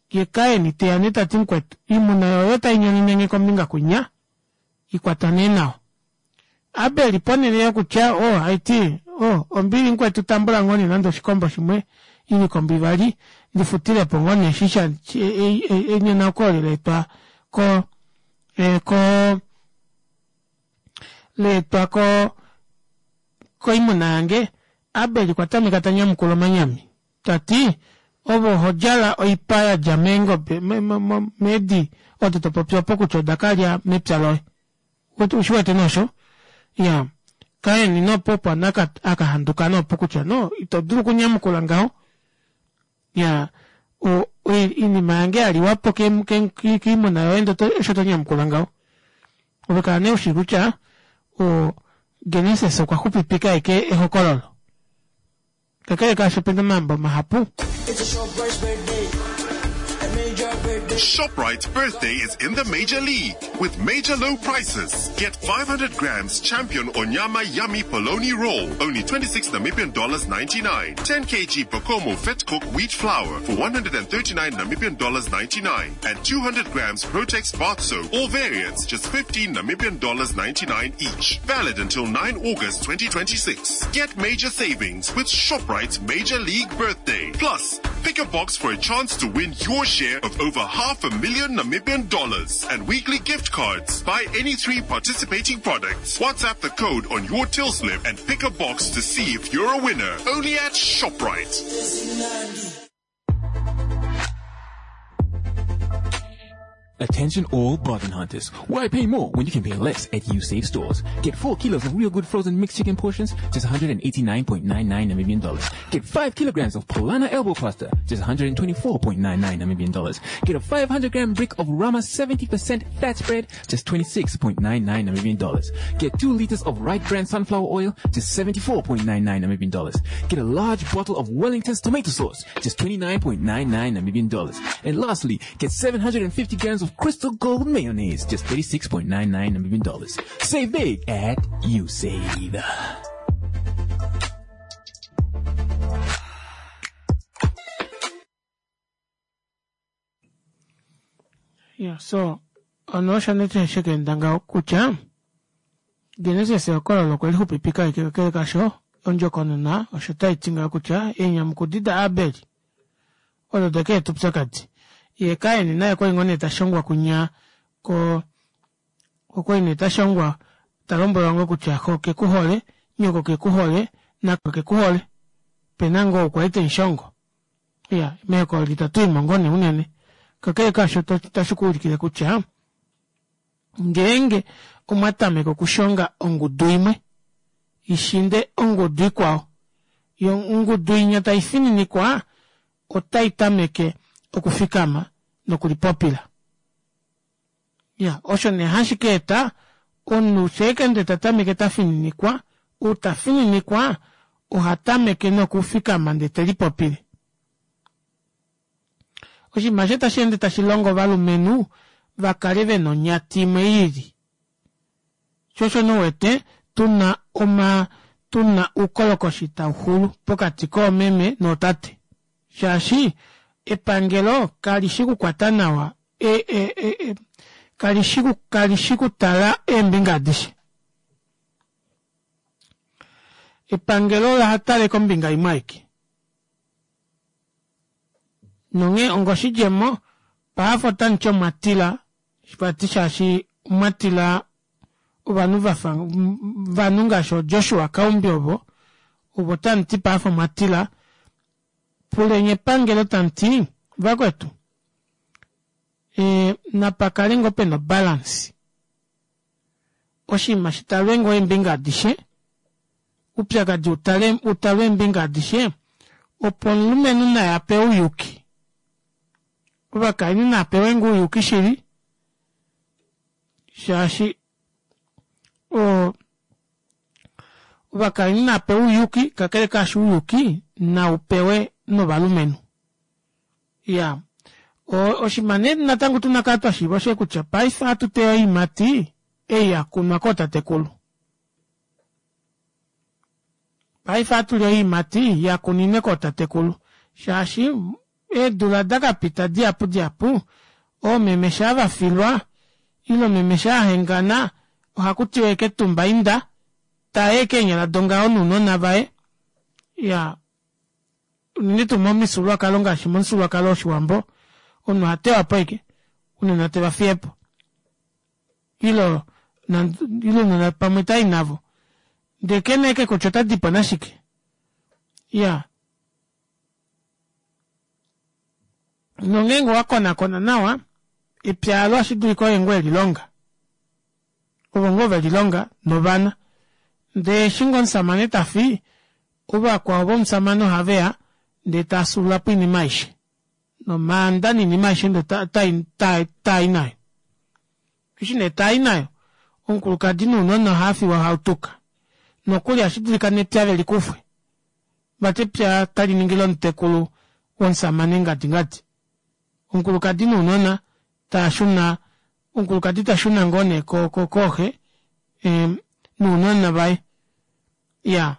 yee Kain teya nee tati mukwetu oimuna yoye otainyoninenge kombinga kwinya ikwata nee nawa. Abel ponele yokutya oo haiti oo ombili mukwetu tambula ngoo nee nande oshikombo shimwe Ilikombo ivali ndifutilepo ngoo nee eshi sha enyonauko eli laetwa ko ko laetwa ko koimuna yange Abel okwa tameka tanyamukula omanyami tati ove ohodjala oipa yadja meengobe meedi odo topopi opo kutya odakalya mepya loye ushiwete nee osho iyaa Kain nee opo nee akahanduka nee opo kutya no ito dulu okunyamukula ngaho iyaa oinima yange yaliwapo koimuna yoye ndee osho tonyamukula ngaho ove kala nee ushi kutya oo Genesis okwa xupipika ashike ehokololo kakele kaasho opena omambo mahapu. Shoprite's birthday is in the Major League with major low prices. Get five hundred grams Champion Onyama Yummy Polony Roll, only twenty-six Namibian dollars ninety-nine. ten kilograms Bokomo Vetkoek Wheat Flour for one hundred and thirty-nine Namibian dollars ninety-nine. And two hundred grams Protex Bath Soap, all variants, just fifteen Namibian dollars ninety-nine each. Valid until nine August twenty twenty-six. Get major savings with Shoprite's Major League Birthday. Plus, pick a box for a chance to win your share of over half a million Namibian dollars and weekly gift cards. Buy any three participating products. WhatsApp the code on your till slip and pick a box to see if you're a winner. Only at Shoprite. Attention all bargain hunters. Why pay more when you can pay less at Usave stores? Get four kilos of real good frozen mixed chicken portions, just a hundred and eighty-nine point nine nine Namibian dollars. Get five kilograms of Polana elbow pasta, just a hundred and twenty-four point nine nine Namibian dollars. Get a five hundred gram brick of Rama seventy percent fat spread, just twenty-six point nine nine Namibian dollars. Get two liters of Right Brand sunflower oil, just seventy-four point nine nine Namibian dollars. Get a large bottle of Wellington's tomato sauce, just twenty-nine point nine nine Namibian dollars. And lastly, get seven hundred and fifty grams of Crystal Gold mayonnaise, just thirty-six point nine nine Namibian dollars. Save big at Usave. Yeah, so ono osho nee shekaenda ngaho kutya Genesis ehokololo okwe lixupipika ashike kakele kasho ondjokonona osho taiti ngaho kutya eenyamukudi daAbel odo daka eta oupyakadi. Ye Kain naye okwali ngoo nee tashongwa kunya ko okwali nee tashongwa talombwelwa ngoo kutya xo kekuhole nyoko kekuhole nako kekuhole pena ngoo kwali temushongo. Iya, mehokololo itatuimo ngoo nee unene kakele kaasho tashi kuulikile kutya ngeenge omwa tameke okushonga ongudu imwe ishinde ongudu ikwao yo ongudu inya taifininikwa otai tameke okufikama nokulipopila. Ya, osho nee hashi ka eta omunhu sheekende ta tameke tafininikwa, ou tafininikwa oha tameke nokufikama ndee telipopile. Oshinima osho tashi ende tashi longo ovalumenhu vakale vena onyati imwe iili. Sho osho nee uwete tuna oma tuna oukolokoshi tauxulu pokati koomeme nootate. Shaashi epangelo kalishi kukwata nawa e, e, e, e, kalishi kalishi kutala eembinga adishe. Epangelo ola tale kombinga imwe aike. Nonghee ongoshidjemo paife otamuti omwatila vati shaashi omwatila ovanhu vafa ovanhu ngaashi ooJoshua Kaumbi ovo ovo tamuti paife omwatila puleni epangelo tamuti vakwetu e, napakale ngoo pena obalance oshinima shitalwe ngoo eembinga adishe oupyakadi utale utalwe eembinga adishe opo omulumenhu naye apewe ouyuki ovakainhu napewe ngoo ouyuki shili shaashi o ovakainhu napewe ouyuki kakele kaasho ouyuki naupewe novalumenhu. Iya, oshinima nee natango tuna kala twashiiva oshe kutya paife ohatu teya oiimati ei yakunwa kootatekulu. Paife ohatuli oiimati yakuninwe kootatekulu shaashi eedula dakapita dihapu dihapu oomeme shaa vafilwa ile meme shaa ahengana ohakutiwa ashike tumba inda taya ashike eenyala dongaho nounona vaye. Iyaa Unene tuu momifyuululwakalo ngaashi momufyuululwakalo woshiwambo omunhu ohatewapo ashike ounona tevafiyepo ile ile ounona pamwe otayi navo ndee kena ashike kutya otadipo nashike iyaa nongeenge owakonakona nawa epya aalo ohashidulika oye ngoo elilonga ovo ngoo velilonga novana ndee eshi ngoo omushamane tafi ovakwao vomushamane ohaveya ndee tafyuululapo oinima aishe nomaanda noinima aishe ndee taayi nayo eshi nee taayi nayo omukulukadi nounona ohaafiwa hautuka nokuli ohashidulika nepya velikufwe vati epya otaliningi lomutekulu womushamane ngadi ngadi omukulukadi nounona taashuna omukulukadi tashuna ngoo nee kooxe nounona vaye iyaa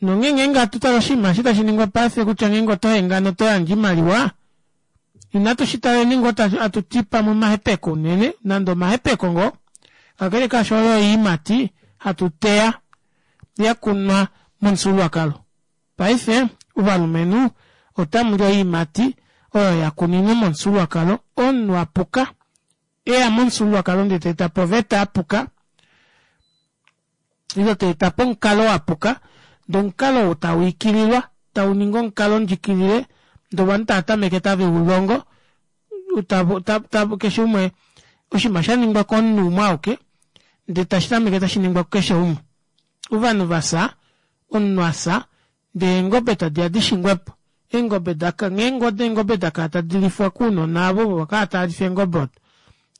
nonghee ngenge hatutale oshinima eshi tashiningwa paife kutya ngeenge otohengana otoyandje oimaliwa inatu shitaleni ngoo hatuti pamwe omahepeko unene nande omahepeko ngoo kakele kaasho oyo oyiimati hatu teya yakunwa momufyuululwakalo paife ovalumenhu otamuli oyiimati oyo yakuninwe momufyuululwakalo omunhu apuka eya momufyuululwakalo ndee taetapo oveta yapuka ile taetapo omukalo wapuka ndee omukalo ou tawiikililwa tauningi omukalo ndjiikilile ndee ovanhu taatameke taveulongo keshe umwe oshinima shaningwa komunhu umwe auke ndee tashitameke tashiningwa kukeshe umwe ovanhu vafya omunhu afya ndee eengobe tadiya dishingwepo eengobe ngeenge odo eengobe dakala tadilifwa kounona aavo ovo vakala tavalifa eengobe odo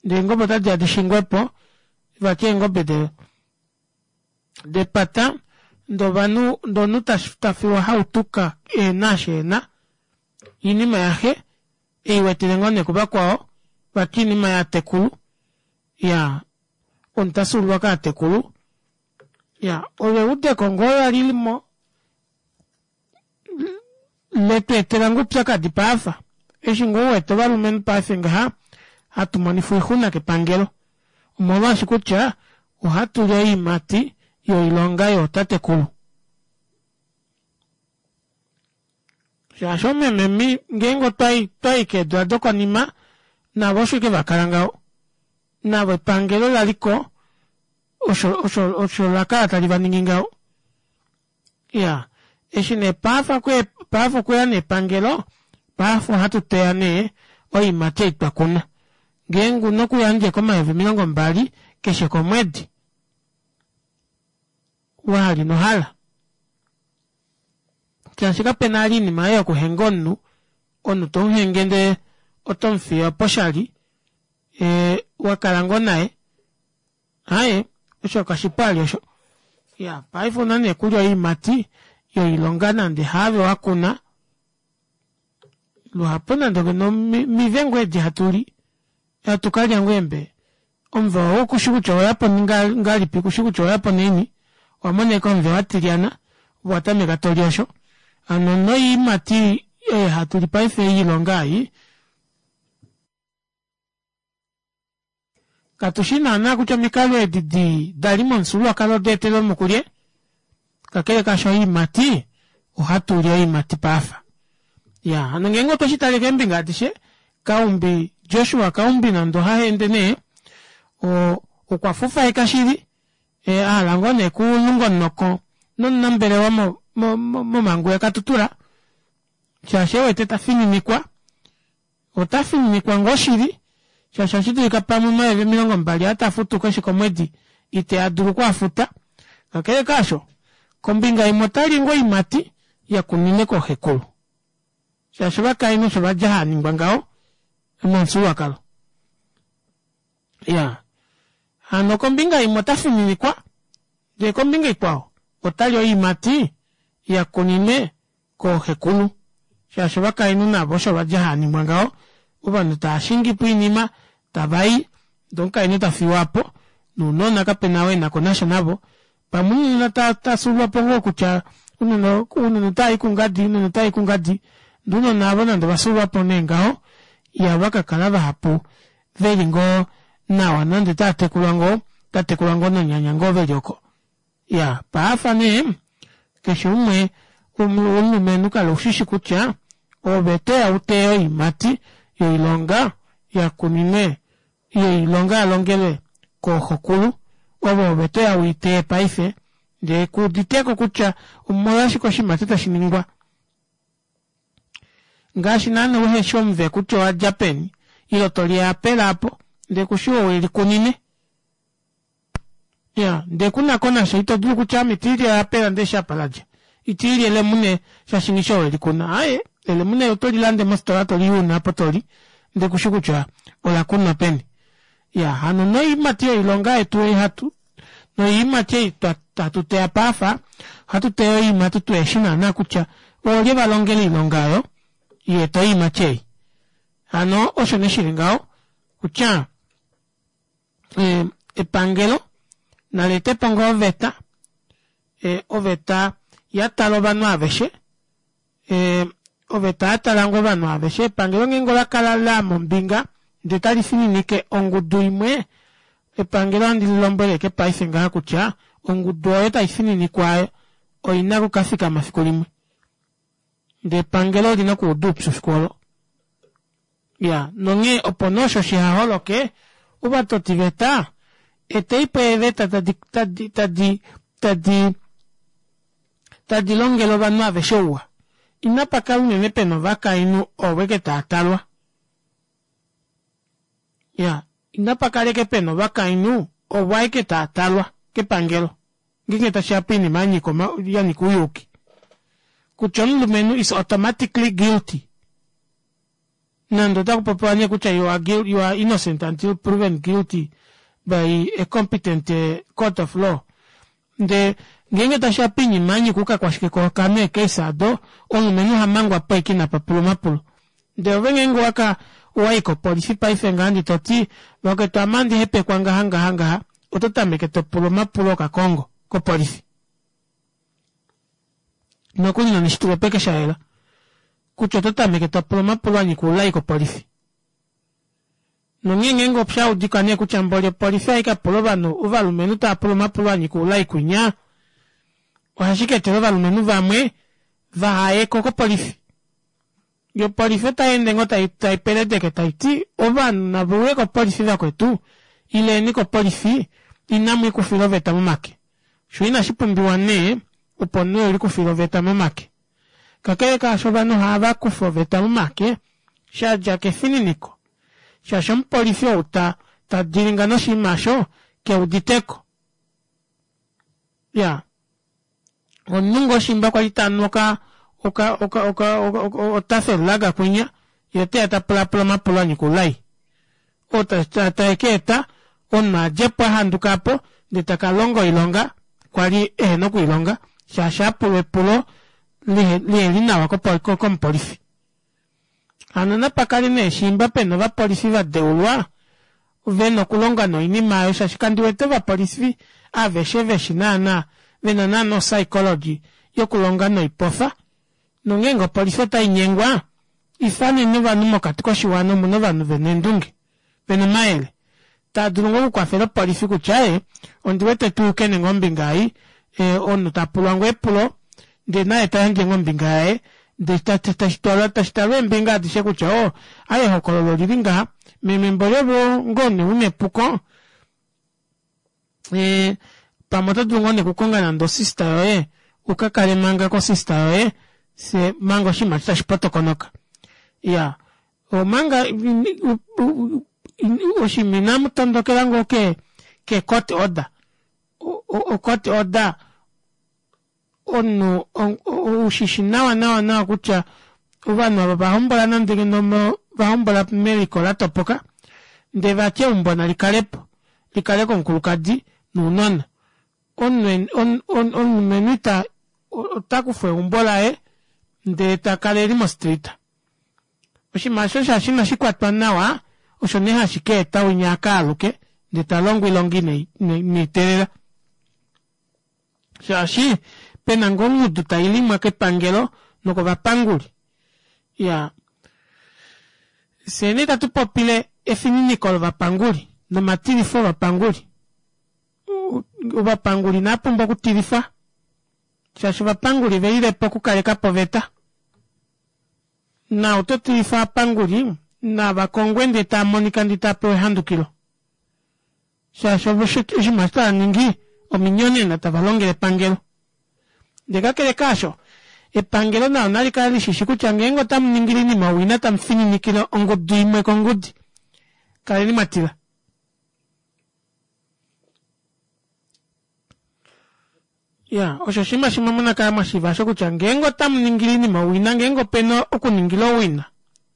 ndee eengobe otadiya dishingwepo vati eengobe depata ndee ovanhu ndee omunhu tafiwa hautuka ehena osho ena oinima yaxe eiwetele ngoo nee kuvakwao vati oinima yaatekulu iyaa omunhu tafyuululwa kaatekulu iyaa olo eudeko ngoo lalilimo letweetela ngoo oupyakadi paafa eshi ngoo uwete ovalumenhu paife ngaha hatumonifwa oixuna kepangelo omolwaashi kutya ohatuli oyiimati yoilonga yootatekulu shaashi oomeme ngeenge otwayi keedula dokonima navo osho ashike vakala ngaho navo epangelo laliko osho osho lakala tali vaningi ngaho iyaa eshi nee paife okweya nee epangelo paife ohatu teya nee oyiimati ei twakuna ngeenge una okuyandja ashike omayovi omilongo mbali keshe komwedi wahala inohala shaashi kapena vali oinima ei yokuhenga omunhu omunhu tomuhenge ndee otomufiye opo oshali ee wakala ngoo naye aaye osho kashipu vali osho iyaa paife ouna nee okulya oyiimati yoilonga nande haave wakuna luhapu nande ngeno omive ngoo edi hatuli hatukalya ngoo eembe omuve oo kushi kutya oweyapo ngahelipi kushi kutya oweyapo naini owamona ashike omuve watilyana ove owatameka toli osho hano noyiimati ei hatuli paife yoilonga ei katushi naana kutya omikalo edi dii dali momufyuululwakalo odaetelwemo kulye kakele kaasho oyiimati ohatuli oyiimati paife iyaa hano ngeenge otwe shitale keembinga adishe kaumbi Joshua kaumbi nande ohahende nee okwafufaeka shili ahala ngoo nee okulunga omunoko nomunambelewa momangu yakatutura shaashi ewete tafininikwa otafininikwa ngoo shili shaashi ohashidulika pamwe omayovi omilongo mbali aa tafutu keshe komwedi iteadulu okwaafuta kakele kaasho kombinga imwe otali ngoo oyiimati yakuninwe kooxekulu shaashi ovakainhu osho vadja haaningwa ngaho momufyuululwakalo iyaa hano kombinga imwe otafininikwa ndee kombinga ikwao otali oyiimati yakuninwe kooxekulu shaashi ovakainhu navo osho vadja haaningwa ngaho ovanhu taashingipo oinima tavayi ndee omukainhu tafiwapo nounona kapena ou enakonasha navo pamwe ounona tafyuululwapo ngoo kutya ounona otavayi kungadi ounona otavayi kungadi ndee ounona aavo nande ovafyuululwapo nee ngaho ihava kakala vahapu veli ngoo nawa nande otaatekulwa ngoo otatekulwa ngoo nonyanya ngoo veli oko iyaa paife nee keshe umwe Omulumenhu kala ushishi kutya ove toya uteye oiimati yoilonga yakuninwe yoilonga yalongelwe kooxokulu ove ove toya uiteye paife ndee kuuditeko kutya omolwashike oshinima eshi tashiningwa ngaashi naana uheshi omuve kutya owadja peni ile toli eapela aapo ndee kushi ou elikunine iya ndee kunakonasha itodulu kutya ame itiili eapela ndeeshi apa ladja itiili elemune shaashi nghishi ou elikuna aaye elemune otolilande mofitola toli una aapo toli ndee kushi kutya olakunwa peni iya hano noiimati yoilonga yetu ei hatu noiimati ei hatu teya paafa ohatu teya oiimati tuheshi naana kutya oolye valongele oilonga aayo yaeta oiimati ei hano osho nee shili ngaho kutya epangelo naleetepo ngoo oveta oveta yatala ovanhu aveshe oveta yatala ngoo ovanhu aveshe epangelo ngeenge olakala laama ombinga ndee talifininike ongudu imwe epangelo ohandi lilombwele ashike paife ngaha kutya ongudu oyo taifininikwa aayo oina okukafikama efiku limwe ndee epangelo olina okuuda oupyu efiku oolo iyaa nonghee opo nee osho shihaholoke ovatotiveta eteipo eeveta tadi tadi tadi tadi tadi longele ovanhu aveshe ouwa inapakala unene pena ovakainhu ovo ashike taatalwa iya inapakala ashike pena ovakainhu ovo ashike taatalwa kepangelo ngeenge tashiya poinima yanyika yanyika ouyuuki kutya omulumenhu is automatically guilty nande otakupopiwa nee kutya you are, you are innocent until proven guilty by a competent court of law ndee ngeenge tashiya poinima yanyika oukakwashike kookanhu eecase aado omulumenhu ohamangwapo ashike ina papulwa omapulo ndee ove ngeenge owaka owayi kopolifi paife ngaha ndee toti vakwetu ame ohandi hepekwa ngaha ngaha ngaha oto tameke topulwa omapulo okakongo kopolifi nokuli noneshitulwepeke shayela kutya oto tameke topula omapulo anyika oulai kopolifi nonghee ngeenge oshaudika nee kutya mboli opolifi ohaikapula ovanhu ovalumenhu taapula omapulo anyika oulai kwinya ohashi kaetela ovalumenhu vamwe vahayeko kopolifi yoo opolifi otayeende ngoo taipeledeke taiti ovanhu naveuye kopolifi vakwetu ileni kopolifi inamwiikufila oveta momake shoo inashipumbiwa nee opo omunhu elikufile oveta momake kakele kaasho ovanhu ohavakufa oveta momake shadja kefininiko shaashi omupolifi ou ta tadilinga noshinima aasho keuditeko iyaa omunhu ngoo shimba kwali tanu oka oka oka oka otafel kwinya yee oteya tapulaapula omapulo anyika oulai oo taekaeta omunhu adjepo ahandukapo ndee takalonga oilonga kwali ehena okwiilonga shaashi apulwa epulo liheli nawa komupolifi hano napakale nee shimba pena ovapolifi vadeulwa vena okulonga noinima aayo shaashi kandiwete ovapolifi aveshe veshi naana vena naana o psychology yokulonga noipofa nongeenge opolifi otainyengwa ifaneni ovanhu mokati koshiwana omuna ovanhu vena eendunge vena omayele taadulu ngoo okukwafela opolifi kutya aaye ondiwete tuukene ngoo ombinga ei omunhu tapulwa ngoo epulo ndee naye tayandje ngoo ombinga yaye ndee tashitalwa eembinga adishe kutya oo aaye ehokololo olili ngaha meme mboli ove ngoo nee una epuko pamwe otodulu ngoo nee okukonga nande osister yoye ukakale manga ko sister yoye fyee manga oshinima eshi tashi potokonoka iyaa omanga oshinima inamutondokela ngoo ke ke court order o court order omunhu ushishi nawa nawa nawa kutya ovanhu ava ovahombola nande ngeno vahombola meliko latopoka ndee vati eumbo nalikalepo likale komukulukadi nounona omulumenhu ita otakufwa eumbo laye ndee takala eli mo street oshinima aasho shaashi inashikwatwa nawa osho nee hashi kaeta winya akaaluke ndee talongo oilonga ineiteelela shaashi pena ngoo ongudu tailimwa kepangelo nokovapanguli iyaa fyee nee itatu popile efininiko lovapanguli nomatilifo ovapanguli ovapanguli inaapumbwa okutilifwa Shaashi ovapanguli ve lile po okukaleka po oveta. Na oto tilifa ovapanguli nava kongwe ndee tava monika ndee tava pewa ehandukilo. Shaashi ovo oshinima eshi tava ningi ominyonena tava longele epangelo. Ndee kakele kaasho, epangelo nalo nali kale lishishi kutya ngeenge otamu ningile oinima owina tamu fininikile ongudu imwe kongudi, kaleni mwatila. Ya, osho oshinima shimwe muna kala mwashiiva osho kutya ngeenge otamu ningile oinima owina, ngeenge opena okuningila owina,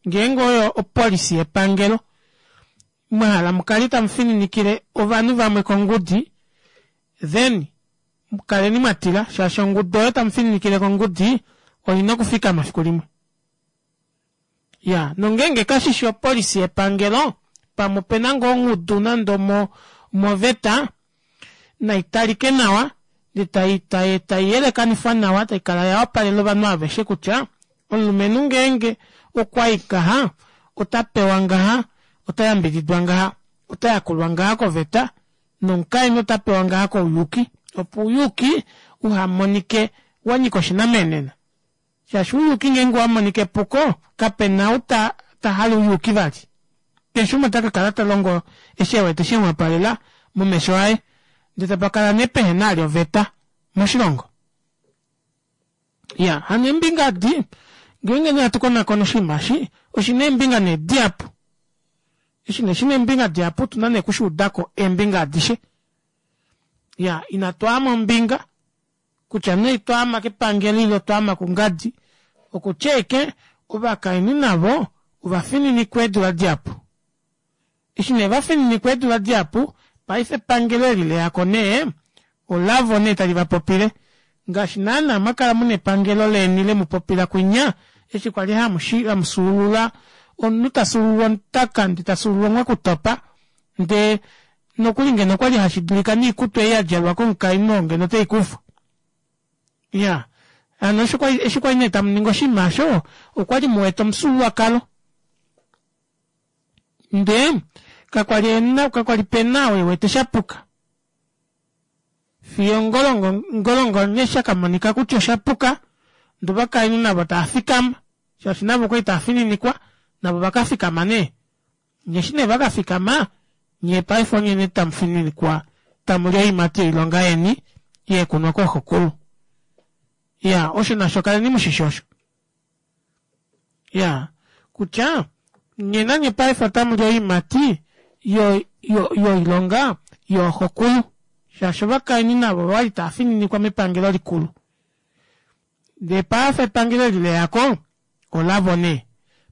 ngeenge oyo opolisi yepangelo, mwahala mukale tamu fininikile ovanhu vamwe kongudi, then kaleni mwatila shaashi ongudu oyo tamu fininikile kongudi oina okufikama fiku limwe. Ya, nongeenge kashishi opolisi yepangelo, pamwe opena ngoo ongudu nande omo moveta, naitalike nawa ndee tai tai taiyelekanifwa nawa taikala yawapalela ovanhu aveshe kutya omulumenhu ngeenge okwayi ngaha ota pewa ngaha, ota yambididwa ngaha, ota yakulwa ngaha koveta nomukainhu ota pewa ngaha kouyuki opo ouyuki uhamonike wanyika oshinamenena. Shaashi ouyuki ngeenge owamonika epuko kapena ou ta tahale ouyuki vali. Keshe umwe ota kakala talongo eshi ewete shemuwapalela momesho aye ndee tapakala nee pehena vali oveta moshilongo. Iyaa hano eembinga edi ngeenge nee hatu konakona oshinima eshi oshina eembinga nee dihapu. Eshi nee shina eembinga dihapu otuna nee okushuudako eembinga adishe. Iyaa ina twaama ombinga kutya nee twaama kepangelo ile otwaama kungadi okutya ashike ovakainhu navo ovafininikwa eedula dihapu. Eshi nee vafininikwa eedula dihapu paife epangelo eli leyako nee olavo nee tali vapopile ngaashi naana mwakala muna epangelo leni lemupopila kwinya eshi kwali hamufyuulula omunhu tafyuulula omutaka ndee tafyuulula omwakutopa ndee nokuli ngeno okwali hashidulika noikutu ei yadjalwa komukainhu oo ngeno oteikufwa. Iyaa hano eshi kwali nee tamuningi oshinima aasho okwali muwete omufyuululwakalo ndee kakwali kakwali pena ou ewete shapuka fiyo ngolongo nee shakamonika kutya oshapuka ndee ovakainhu navo taafikama shaashi navo okwali taafininikwa navo vakafikama nee eshi nee vakafikama nyee paife onye nee tamufininikwa tamuli oiimati yoilonga yeni yeekunwa kooxokulu. Iyaa osho nasho kaleni mushishi osho. Iyaa kutya nyee nanye paife otamuli oiimati yo yo yoilonga yooxokulu shaashi ovakainhu navo ovali taafininikwa mepangelo likulu. Ndee paife epangelo eli leyako olavo nee.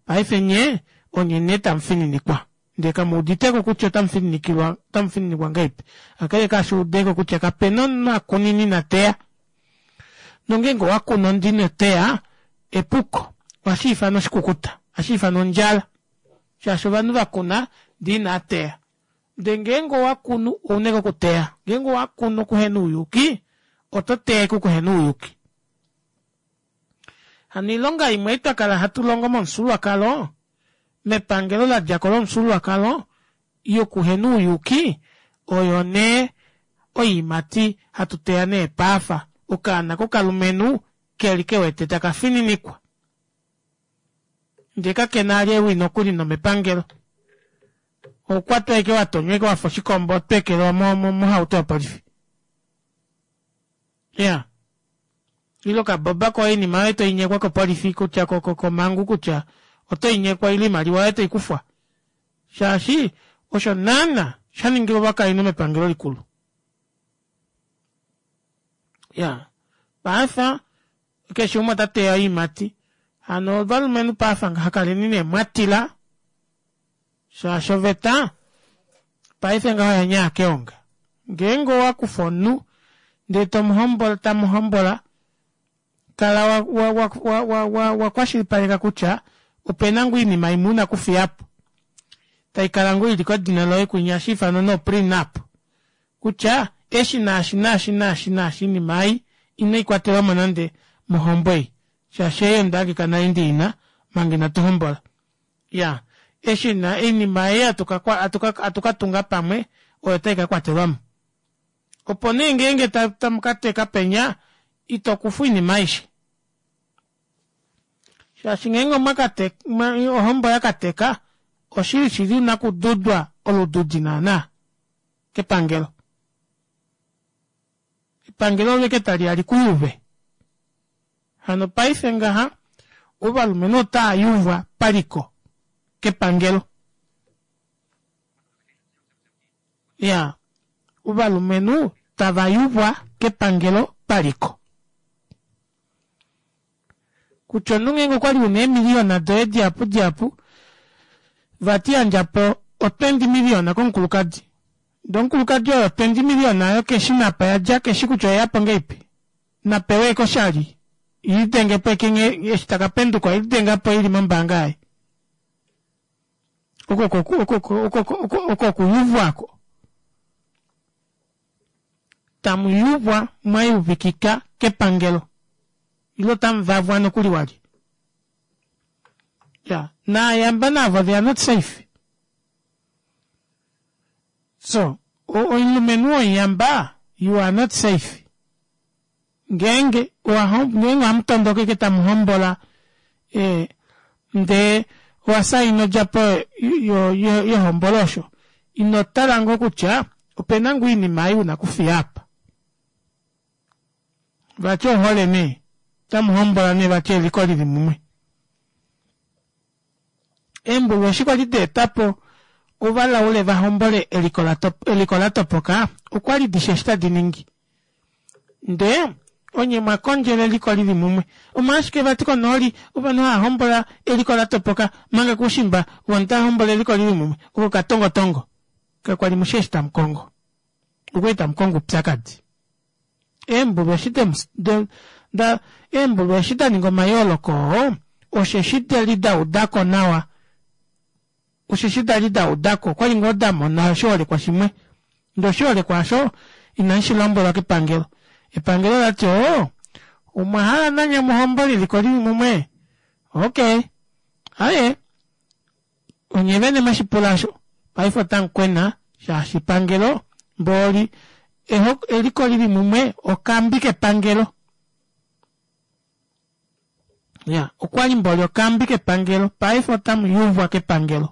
Paife nyee onye nee tamufininikwa ndee kamuuditeko kutya otamufininikilwa otamufininikwa ngahelipi. Kakele kaasho udeko kutya kapena omunhu akunine ina teya. Nongeenge owakunu ndee inoteya epuko ohashiifanwa oshikukuta ohashiifanwa ondjala shaashi ovanhu vakuna ndee inaateya. Ndee ngeenge owakunu ouna ashike okuteya, ngeenge owakunu okuhena ouyuki oto teya ashike okuhena ouyuki. Hano oilonga imwe ei twakala hatu longo momufyuululwakalo mepangelo ladjako lomufyuululwakalo yokuhena ouyuki oyo nee oiimati hatu teya nee paafa okaana kokalumenhu keli kewete taka fininikwa ndee kakena vali ewi nokuli nomepangelo oukwatwa ashike watonywa ashike wafa oshikombo otweekelwa mohauto yopolifi. Iyaa ile okaboba koye oinima yoye toinyekwa kopolifi kutya komangu kutya otoinyekwa ile oimaliwa yoye toikufwa shaashi osho naana shaningilwa ovakainhu mepangelo likulu. Iyaa paife keshe umwe ota teya oiimati hano ovalumenhu paife ngaha kaleni nee mwatila shaashi oveta paife ngaha oyanyaa keonga. Ngeenge owakufa omunhu ndee tomuhombola tamuhombola kala wa wa wa wa wakwashilipaleka kutya opena ngoo oinima imwe una okufiyapo taikala ngoo ili kedina loye kwinya ohashiifanwa nee o-prenup kutya eshi naashi naashi naashi naashi oinima ei ino ikwatelamo nande mohombo ei shaashi ei ondahangika nale ndiina manga inatu hombola. Iyaa eshi oinima ei hatu katunga pamwe oyo taikakwatelwamo. Opo nee ngeenge tamukateka penya Ito kufa oinima aishe. Shaashi ngeenge omwakate ohombo yakateka oshili shili una kududwa olududi naana kepangelo. Epangelo oleke taliya likuyuve. Hano paife ngaha ovalumenhu otaayuvwa paliko kepangelo. Iyaa ovalumenhu tava yuvwa kepangelo paliko. Kutya omunhu ngeenge okwali una eemiliyona doye dihapu dihapu vati yandjapo o twenty million komukulukadi ndee omukulukadi oyo twenty million aayo keshina apa yadja keshi kutya oyeyapo ngahelipi napewe ashike oshali ilidengepo ashike nghee eshi takapenduka oilidengapo ili mombaanga yaye oko oko oko okuyuvwa oko tamuyuvwa mwayuvikika kepangelo ile otamuvavwa nokuli wali ya naayamba navo they are not safe so omulumenhu womuyamba you are not safe ngeenge ngeenge ohamutondoka ashike tamuhombola ee ndee owasaina odjapo yehombolo osho ino tala ngoo kutya opena ngoo oinima ei una okufiya aapa vati ohole nee otamuhombola nee vati eliko lili mumwe eembulu eshi kwali daetapo ovalaule vahombole eliko latopoka okwali dishi eshi tadi ningi ndee onye mwakondjela eliko lili mumwe omolwashike vati konooli ovanhu hava hombola eliko latopoka omanga koushimba ovanhu tava hombola eliko lili mumwe oko okatongotongo kakwali mushi eshi tamukongo okwali tamukongo oupyakadi eembulu eshi da eembulu eshi daninga omayooloko oo osheshi dali daudako nawa osheshi dali daudako okwali ngoo damona oshiholekwa shimwe ndee oshiholekwa aasho inamushilombwelwa kepangelo epangelo olati oo omwahala nanye muhombole eliko lili mumwe okey aaye onye vene mweshipula aasho paife otamukwena shaashi epangelo mboli eliko lili mumwe okambi kepangelo iya okwali mboli okambi kepangelo paife otamuyuvwa kepangelo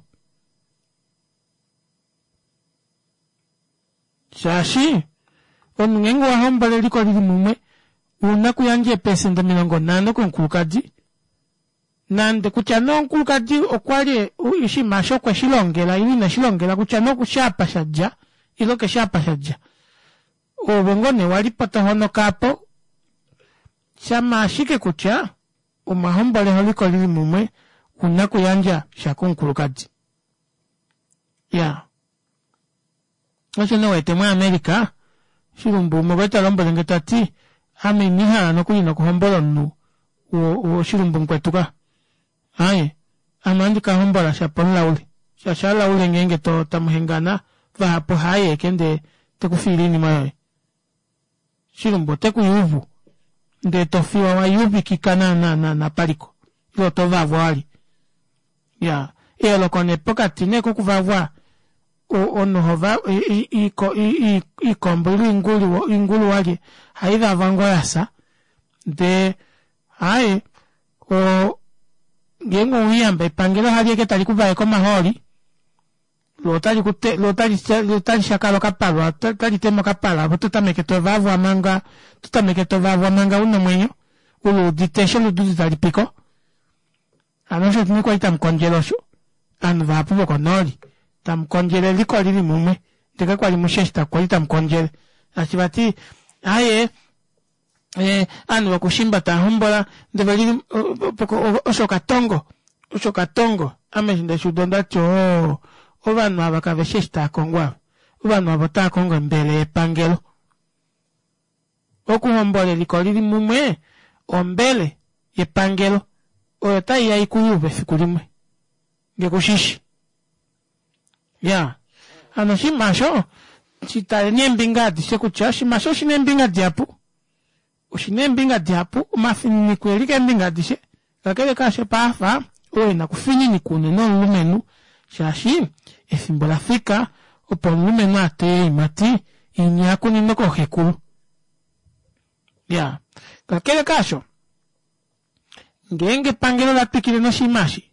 shaashi omunhu ngeenge owahombola eliko lili mumwe ouna okuyandja eepecent omilongo nhano komukulukadi nande kutya nee omukulukadi okwali oshinima aasho okweshilongela ile ineshilongela kutya nee okushi apa shadja ile keshi apa shadja oove ngoo nee walipo tohonoka aapo shama ashike kutya omwahombola eliko lili mumwe ouna okuyandja sha komukulukadi iyaa osho nee uwete mu america shilumbu umwe okwali talombwelenge tati ame ina ndihala nokuli nokuhombola omunhu woshilumbu mukwetu ka aaye ame ohandi kahombola shapo omulaule shaashi alaule ngeenge tamuhengana vahapu ohaayi ashike ndee tekufiile oinima yoye shilumbu otekuyuvu ndee tofiwa wayuvikika naana naana paliko ile otovavwa wali iyaa eyooloko nee pokati nee kokuvavwa omunhu hova oikombo ile oingulu walye ohaivavwa ngoo yafya ndee aaye oo ngeenge oumuyamba epangelo ohaliya ashike tali kuvaeke omahooli loo otali shakala okapalwa otali tema okapala ove ototameke tovavwa manga ototameke tovavwa manga una omwenyo uluudite eshi olududi talipiko hano osho nee kwali tamukondjele osho ovanhu vahapu vokonooli tamukondjele eliko lili mumwe ndee kakwali mushi eshi kwali tamukondjele shaashi vati aaye ovanhu vokushimba taahombola ndee veli osho okatongo osho okatongo ame eshi ndeshuuda ondati oo ovanhu ava kaveshi eshi taakongo ava ovanhu ava otaakongo ombele yepangelo okuhombola eliko lili mumwe ombele yepangelo oyo taiya ikuyuve efiku limwe ngee kushishi iyaa hano oshinima aasho shitaleni eembinga adishe kutya oshinima aasho oshina eembinga dihapu oshina eembinga dihapu omafininiko oeli keembinga adishe kakele kaasho paafa oo ena okufininikwa unene omulumenhu shaashi efimbo olafika opo omulumenhu ateye oiimati inya akuninwe kooxekulu iyaa Kakele kaasho, ngeenge epangelo la twikile noshinima eshi,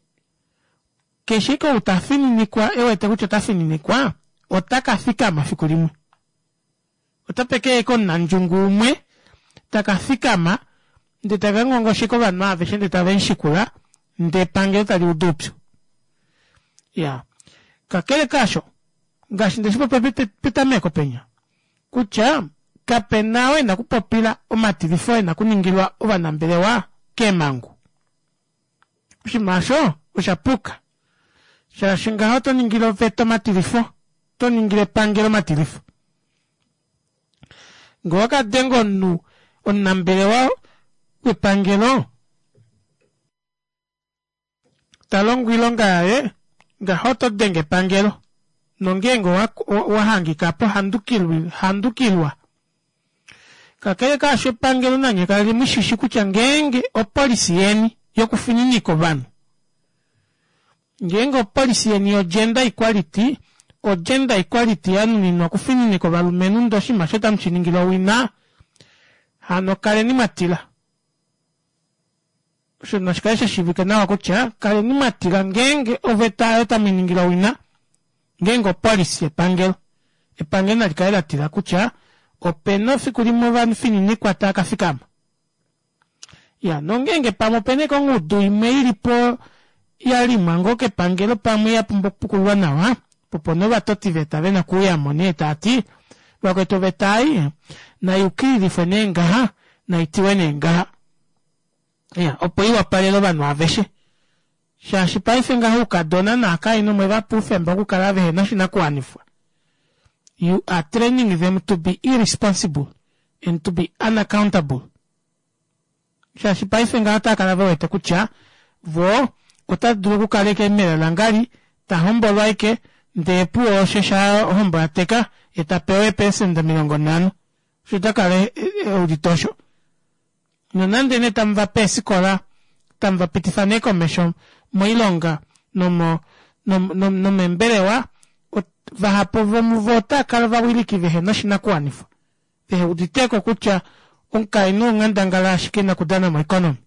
keshe ike ou ta fininikwa e wete kutya ota fininikwa, ota ka fikama fiku limwe. Otape ke ya omunandjungu umwe taka fikama ndee taka ngongosheka ovanhu aveshe ndee tave mushikula ndee epangelo tali udu oupyu. Iyaa, kakele kaasho ngaashi ndeshipopya petameko penya kutya kapena oo ena okupopila omatilifo ena okuningilwa ovanambelewa keemangu. Oshinima aasho oshapuka shaashi ngaho oto ningile oveta omatilifo, oto ningile epangelo omatilifo. Ngee owakadenge omunhu omunambelewa wepangelo talongo oilonga yaye ngaho oto denge epangelo nongeenge wahangikapo handukilwa. Kakele kaasho epangelo nanye kali mushishi kutya ngeenge opolicy yeni yokufininika ovanhu, ngeenge opolicy yeni yo gender equality, o gender equality yanuninwa okufininika ovalumenhu ndee oshinima aasho otamu shiningile owina, hano kaleni mwatila. Osho nashikale shashiivika nawa kutya kaleni mwatila ngeenge oveta aayo tamuiningile owina, ngeenge opolicy yepangelo, epangelo nalikale latila kutya opena efiku limwe ovafininikwa taakafikama. Iyaa nongeenge pamwe opena ashike ongudu imwe ilipo yalimwa ngoo kepangelo pamwe yapumbwa okupukululwa nawa, opo nee ovatotiveta vena okuuyamo nee taati vakwetu oveta ei nayukililifwe nee ngaha naitiwe nee ngaha. Iya opo iwapalele ovanhu aveshe shaashi paife ngaha oukadona novakainhu omwevapa oufemba wokukala vehena oshinakuwanifwa. You are training them to be irresponsible and to be unaccountable. Shaashi paife ngaha otaakala vewete kutya voo otadulu okukala ashike mela langali tahombolwa ashike ndee opuwo osho shaa ohombo yateka yee tapewa eeprecent omilongo nhano osho otakala eudite osho. Nonande nee tamuvape eefikola tamuvapitifa nee komesho moilonga nomo nomeembelewa vahapu vomuvo otaakala ovawiliki vehena oshinakuwanifwa veheuditeko kutya omukainhu onghandangala yashike ena okudana mo economy.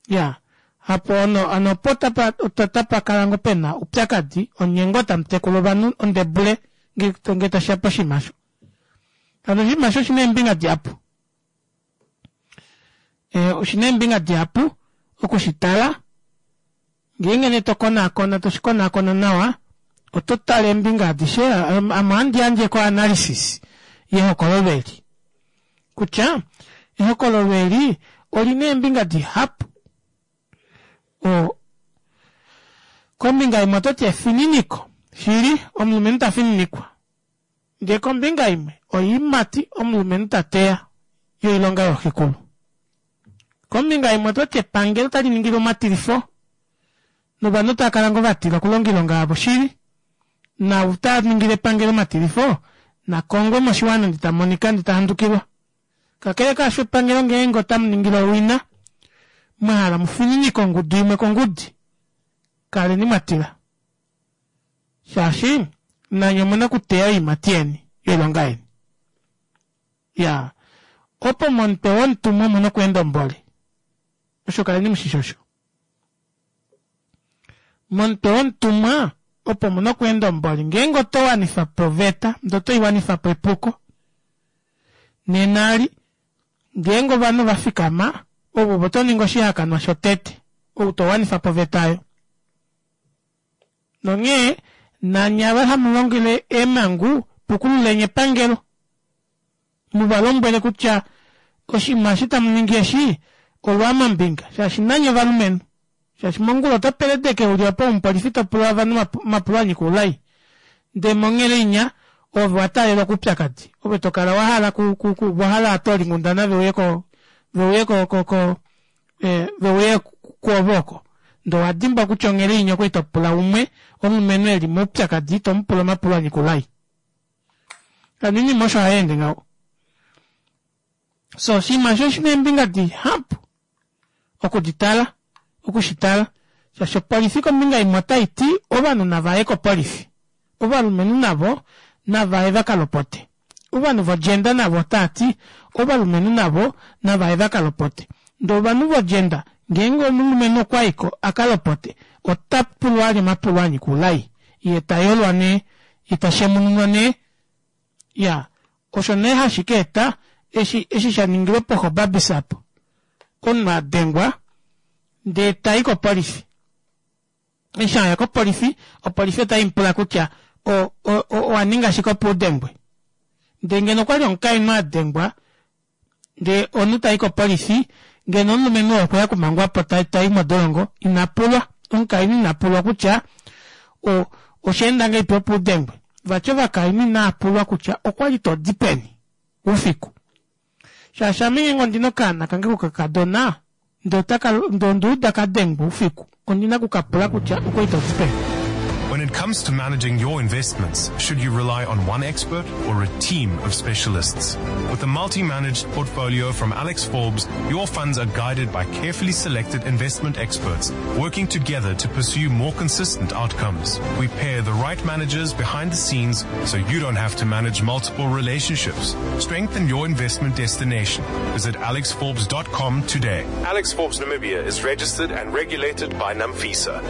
Iyaa hapo hano opo otapakala ngoo pena oupyakadi onye ngoo tamutekula ovanhu ondebule ngee tashiya poshinima aasho. Hano oshinima aasho oshina eembinga dihapu. Oshina eembinga dihapu okushitala ngeenge nee tokonaakona toshikonaakona nawa oto tale eembinga adishe ame ohandi yandje ko analysis yehokololo eli kutya ehokololo eli olina eembinga dihapu. Oo kombinga imwe ototi efininiko shili omulumenhu tafininikwa ndee kombinga imwe oyiimati omulumenhu tateya yoilonga yooxekulu. Kombinga imwe ototi epangelo otaliningilwa omatilifo novanhu otaakala ngoo vatila okulonga oilonga yavo shili naau taningile epangelo omatilifo nakongwe moshiwana ndee tamonika ndee tahandukilwa. Kakele kaasho epangelo ngeenge otamuningile owina mwahala mufininike ongudu imwe kongudi, kaleni mwatila shaashi nanye omuna okuteya oyiimati yeni yoilonga yeni. Iyaa opo momutwe womutumwa omuna okweenda omboli, osho kaleni mushishi osho. Momutwe womutumwa opo muna okweenda omboli ngeenge oto wanifapo oveta ndee otoiwanifapo epuko nena eli ngeenge ovanhu ovafikama ove otoningi oshihakanwa shotete ou towanifapo oveta aayo. Nonghee nanye ava hamulongele eemangu pukululeni epangelo muvalombwele kutya oshinima eshi tamuningi eshi olwaamambinga shaashi nanye ovalumenhu shaashi mongula oto peledeke uli opo omupolifi topula ovanhu omapulo anyika oulai ndee monghele inya ove owataalelwa koupyakadi ove tokala wahala ku wahala ovatoolinghundana veuye ko veuye ko ko ko veuye kwoove oko ndee owadimbwa kutya onghele inya okwali topula umwe omulumenhu eli moupyakadi tomupula omapulo anyika oulai. Hano oinima osho hayeende ngaho. So oshinima aasho oshina eembinga dihapu okuditala okushitala shaashi opolifi kombinga imwe otaiti ovanhu navaye kopolifi ovalumenhu navo navaye vakalopote Ovanhu vogender navo otaati ovalumenhu navo navaye vakalopote ndee ovanhu vogender ngeenge omulumenhu okwayiko akalopote otapulwa vali omapulo anyika oulai yee tayolwa nee yee tashemununwa nee iyaa osho nee hashikeeta eshi eshi shaningilwe po gobabis aapo omunhu adengwa ndee tayi kopolifi eshi aya kopolifi opolifi otaimupula kutya o- o- owaninga shike opo udengwe ndee ngeno okwali omukainhu adengwa ndee omunhu tayi kopolifi ngeno omulumenhu oo okweya okumangwapo tayi modolongo inapulwa omukainhu inapulwa kutya o oshaenda ngahelipi opo udengwe vati ovakainhu inavapulwa kutya okwali todi peni oufiku shaashi ame ngeenge ondina okaana kange kokakadona ndee otaka ndee ondauda kadengwa oufiku ondina okukapula kutya okwali todi peni When it comes to managing your investments, should you rely on one expert or a team of specialists? With a multi-managed portfolio from Alex Forbes, your funds are guided by carefully selected investment experts working together to pursue more consistent outcomes. We pair the right managers behind the scenes so you don't have to manage multiple relationships. Strengthen your investment destination. Visit alexforbes dot com today. Alex Forbes Namibia is registered and regulated by NAMFISA.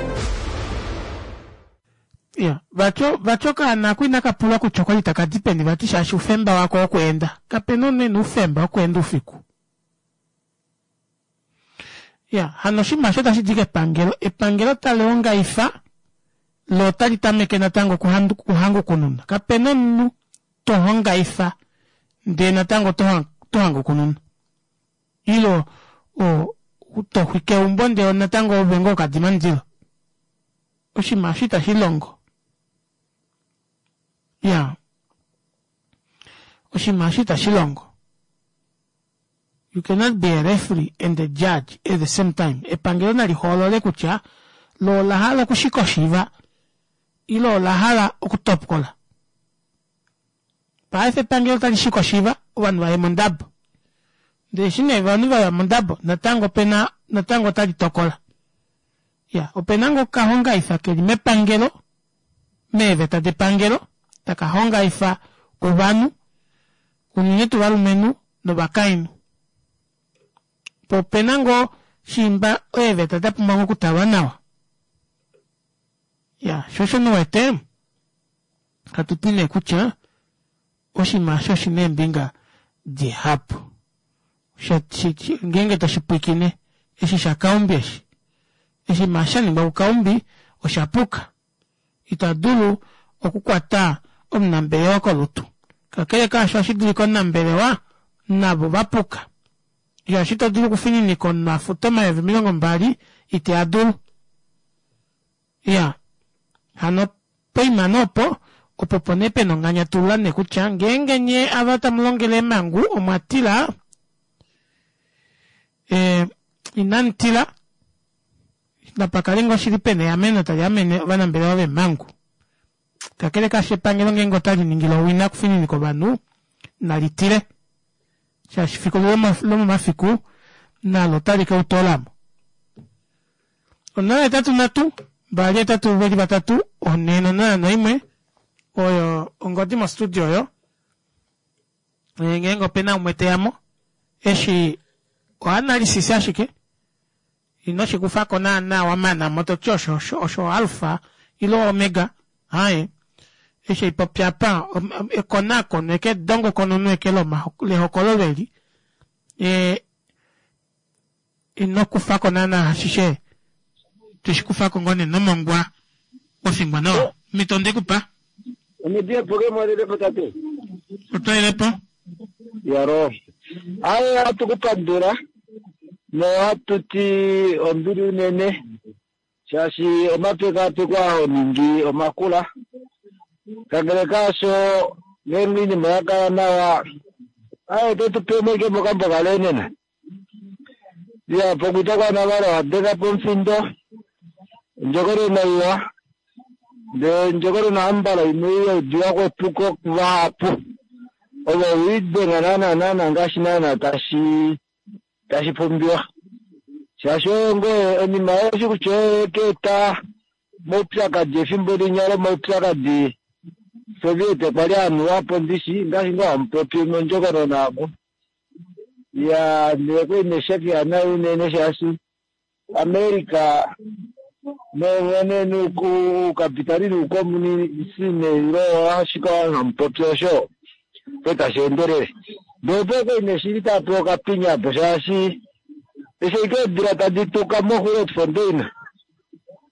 Iya, vati vati okaana ako inaka pulwa kutya okwali taka di peni vati shaashi oufemba wako wokweenda. Kapena omunhu ena oufemba wokweenda oufiku. Iya, hano oshinima osho otashi di kepangelo. Epangelo tali ongaifa lo otali tameke natango okuhangukununa. Kapena omunhu tohongaifa ndee natango tohangukununa. Ile o toxwike eumbo ndee natango ove ngoo okadima omundilo. Oshinima osho itashi longo. Iya, oshinima osho itashi longo. You cannot be a referee and a judge at the same time. Epangelo nali hoolole kutya lo ola hala okushika oshiva ile ola hala okutopola. Paife epangelo otali shika oshiva ovanhu vaye mondabo. Ndee eshi nee ovanhu vaya mondabo natango opena natango otali tokola. Iya, opena ngoo okahongaifa keli mepangelo meeveta depangelo taka hongaifa ovanhu unene tuu ovalumenhu novakainhu. Po opena ngoo shiimba eeveta dapumbwa ngoo okutalwa nawa. Iya, sho osho nee uwete hatuti nee kutya oshinima osho oshina eembinga dihapu. Ngeenge toshipwiikine eshi shakaumbi eshi oshinima shaningwa kukaumbi oshapuka. Ita dulu okukwata omunambelewa kolutu. Kakele kaasho ohashi dulika omunambelewa navo vapuka. Shaashi ito dulu okufininika omunhu afute omayovi omilongo mbali ite adulu. Iya, hano poima nee opo opo opo nee pena onganyatulula nee kutya ngeenge nyee ava tamulongele eemhangu omwa tila ee inamutila napakale ngoo shili pena eameno tali amene ovanambelewa veemhangu. Kakele kaasho epangelo ngeenge otali ningile owina okufininika ovanhu nali tile shaashi fiku lomomafiku nalo otali keutoolamo. Onola hetatu nhatu mbali hetatu veli vatatu onhe nonola noimwe oyo ongodi mo studio oyo ngeenge opena umwe teyamo eshi o analysis ashike ino shikufako naana wamanamo toti osho osho alpha ile omega aaye eshi haipopi apa ekonakono eke edongokonono eke lehokololo eli ee ino kufako naana ashishe toshikufako ngoo nee nomongwa wafingwa nawa omhito ondekupa tate. Otoilepo? Yaro. Aye hatu kupandula nohatu ti ombili unene shaashi omapekapeko aho ningi omakula. Kakele kaasho ngeenge iinima ya kala nawa aye totu pe meke mokambo kalenena. Ya pokuita kwa navalo wadenga po omufindo ondjokonona iwa ndee ondjokonona ambala imwe ya udiwa kwepuko kuvahapu ovo wiidenga naana naana ngaashi naana tashi tashi pumbiwa shaashi oyo ngoye onima yoshi kutya oyo keeta maupyakadi efimbo linya lomaupyakadi Soviet okwa li anuwa po ndishi ngaashi ngoo hamupopi mondjokonona amo. Ya ndele kwali neshaki nayi unene shaashi America nowene nuukapitali nuukomunisi neilo ashike hamupopi osho po tashi endelele. Ndele opo kwali neshili tapewa okapinya po shaashi eshi ashike eedila tadi tuka moGrootfontein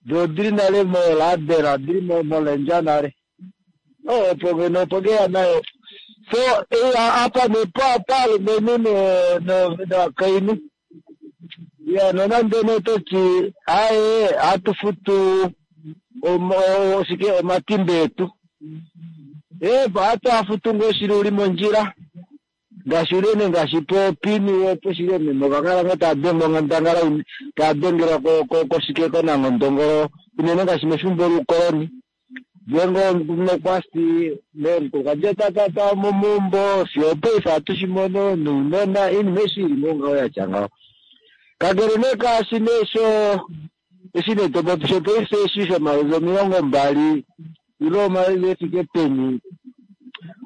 doo odili nale moladela odili molendja nale. Opo ngeno opo ngeya nayo. So apa nepo paalumenhu novakainhu. Ya nonande nee toti aaye ohatu futu oshike omatimba etu. Ohatu afutu ngoo shili uli mondjila ngaashi unene ngaashi popini opo shili meme ovakala ngoo tava dengwa onghandangala tava dengelwa koshike konangondongolo unene ngaashi mefimbo loukoloni. Ngeenge nokwasi omukulukadi ota momaumbo fiyo opaife ohatu shimono nounona oinima eshi ili ngoo ngaho yatya ngaho. Kakele nee kaashi nee sho eshi nee topopi shopaife eshi shomayovi omilongo mbali ile omayovi efike peni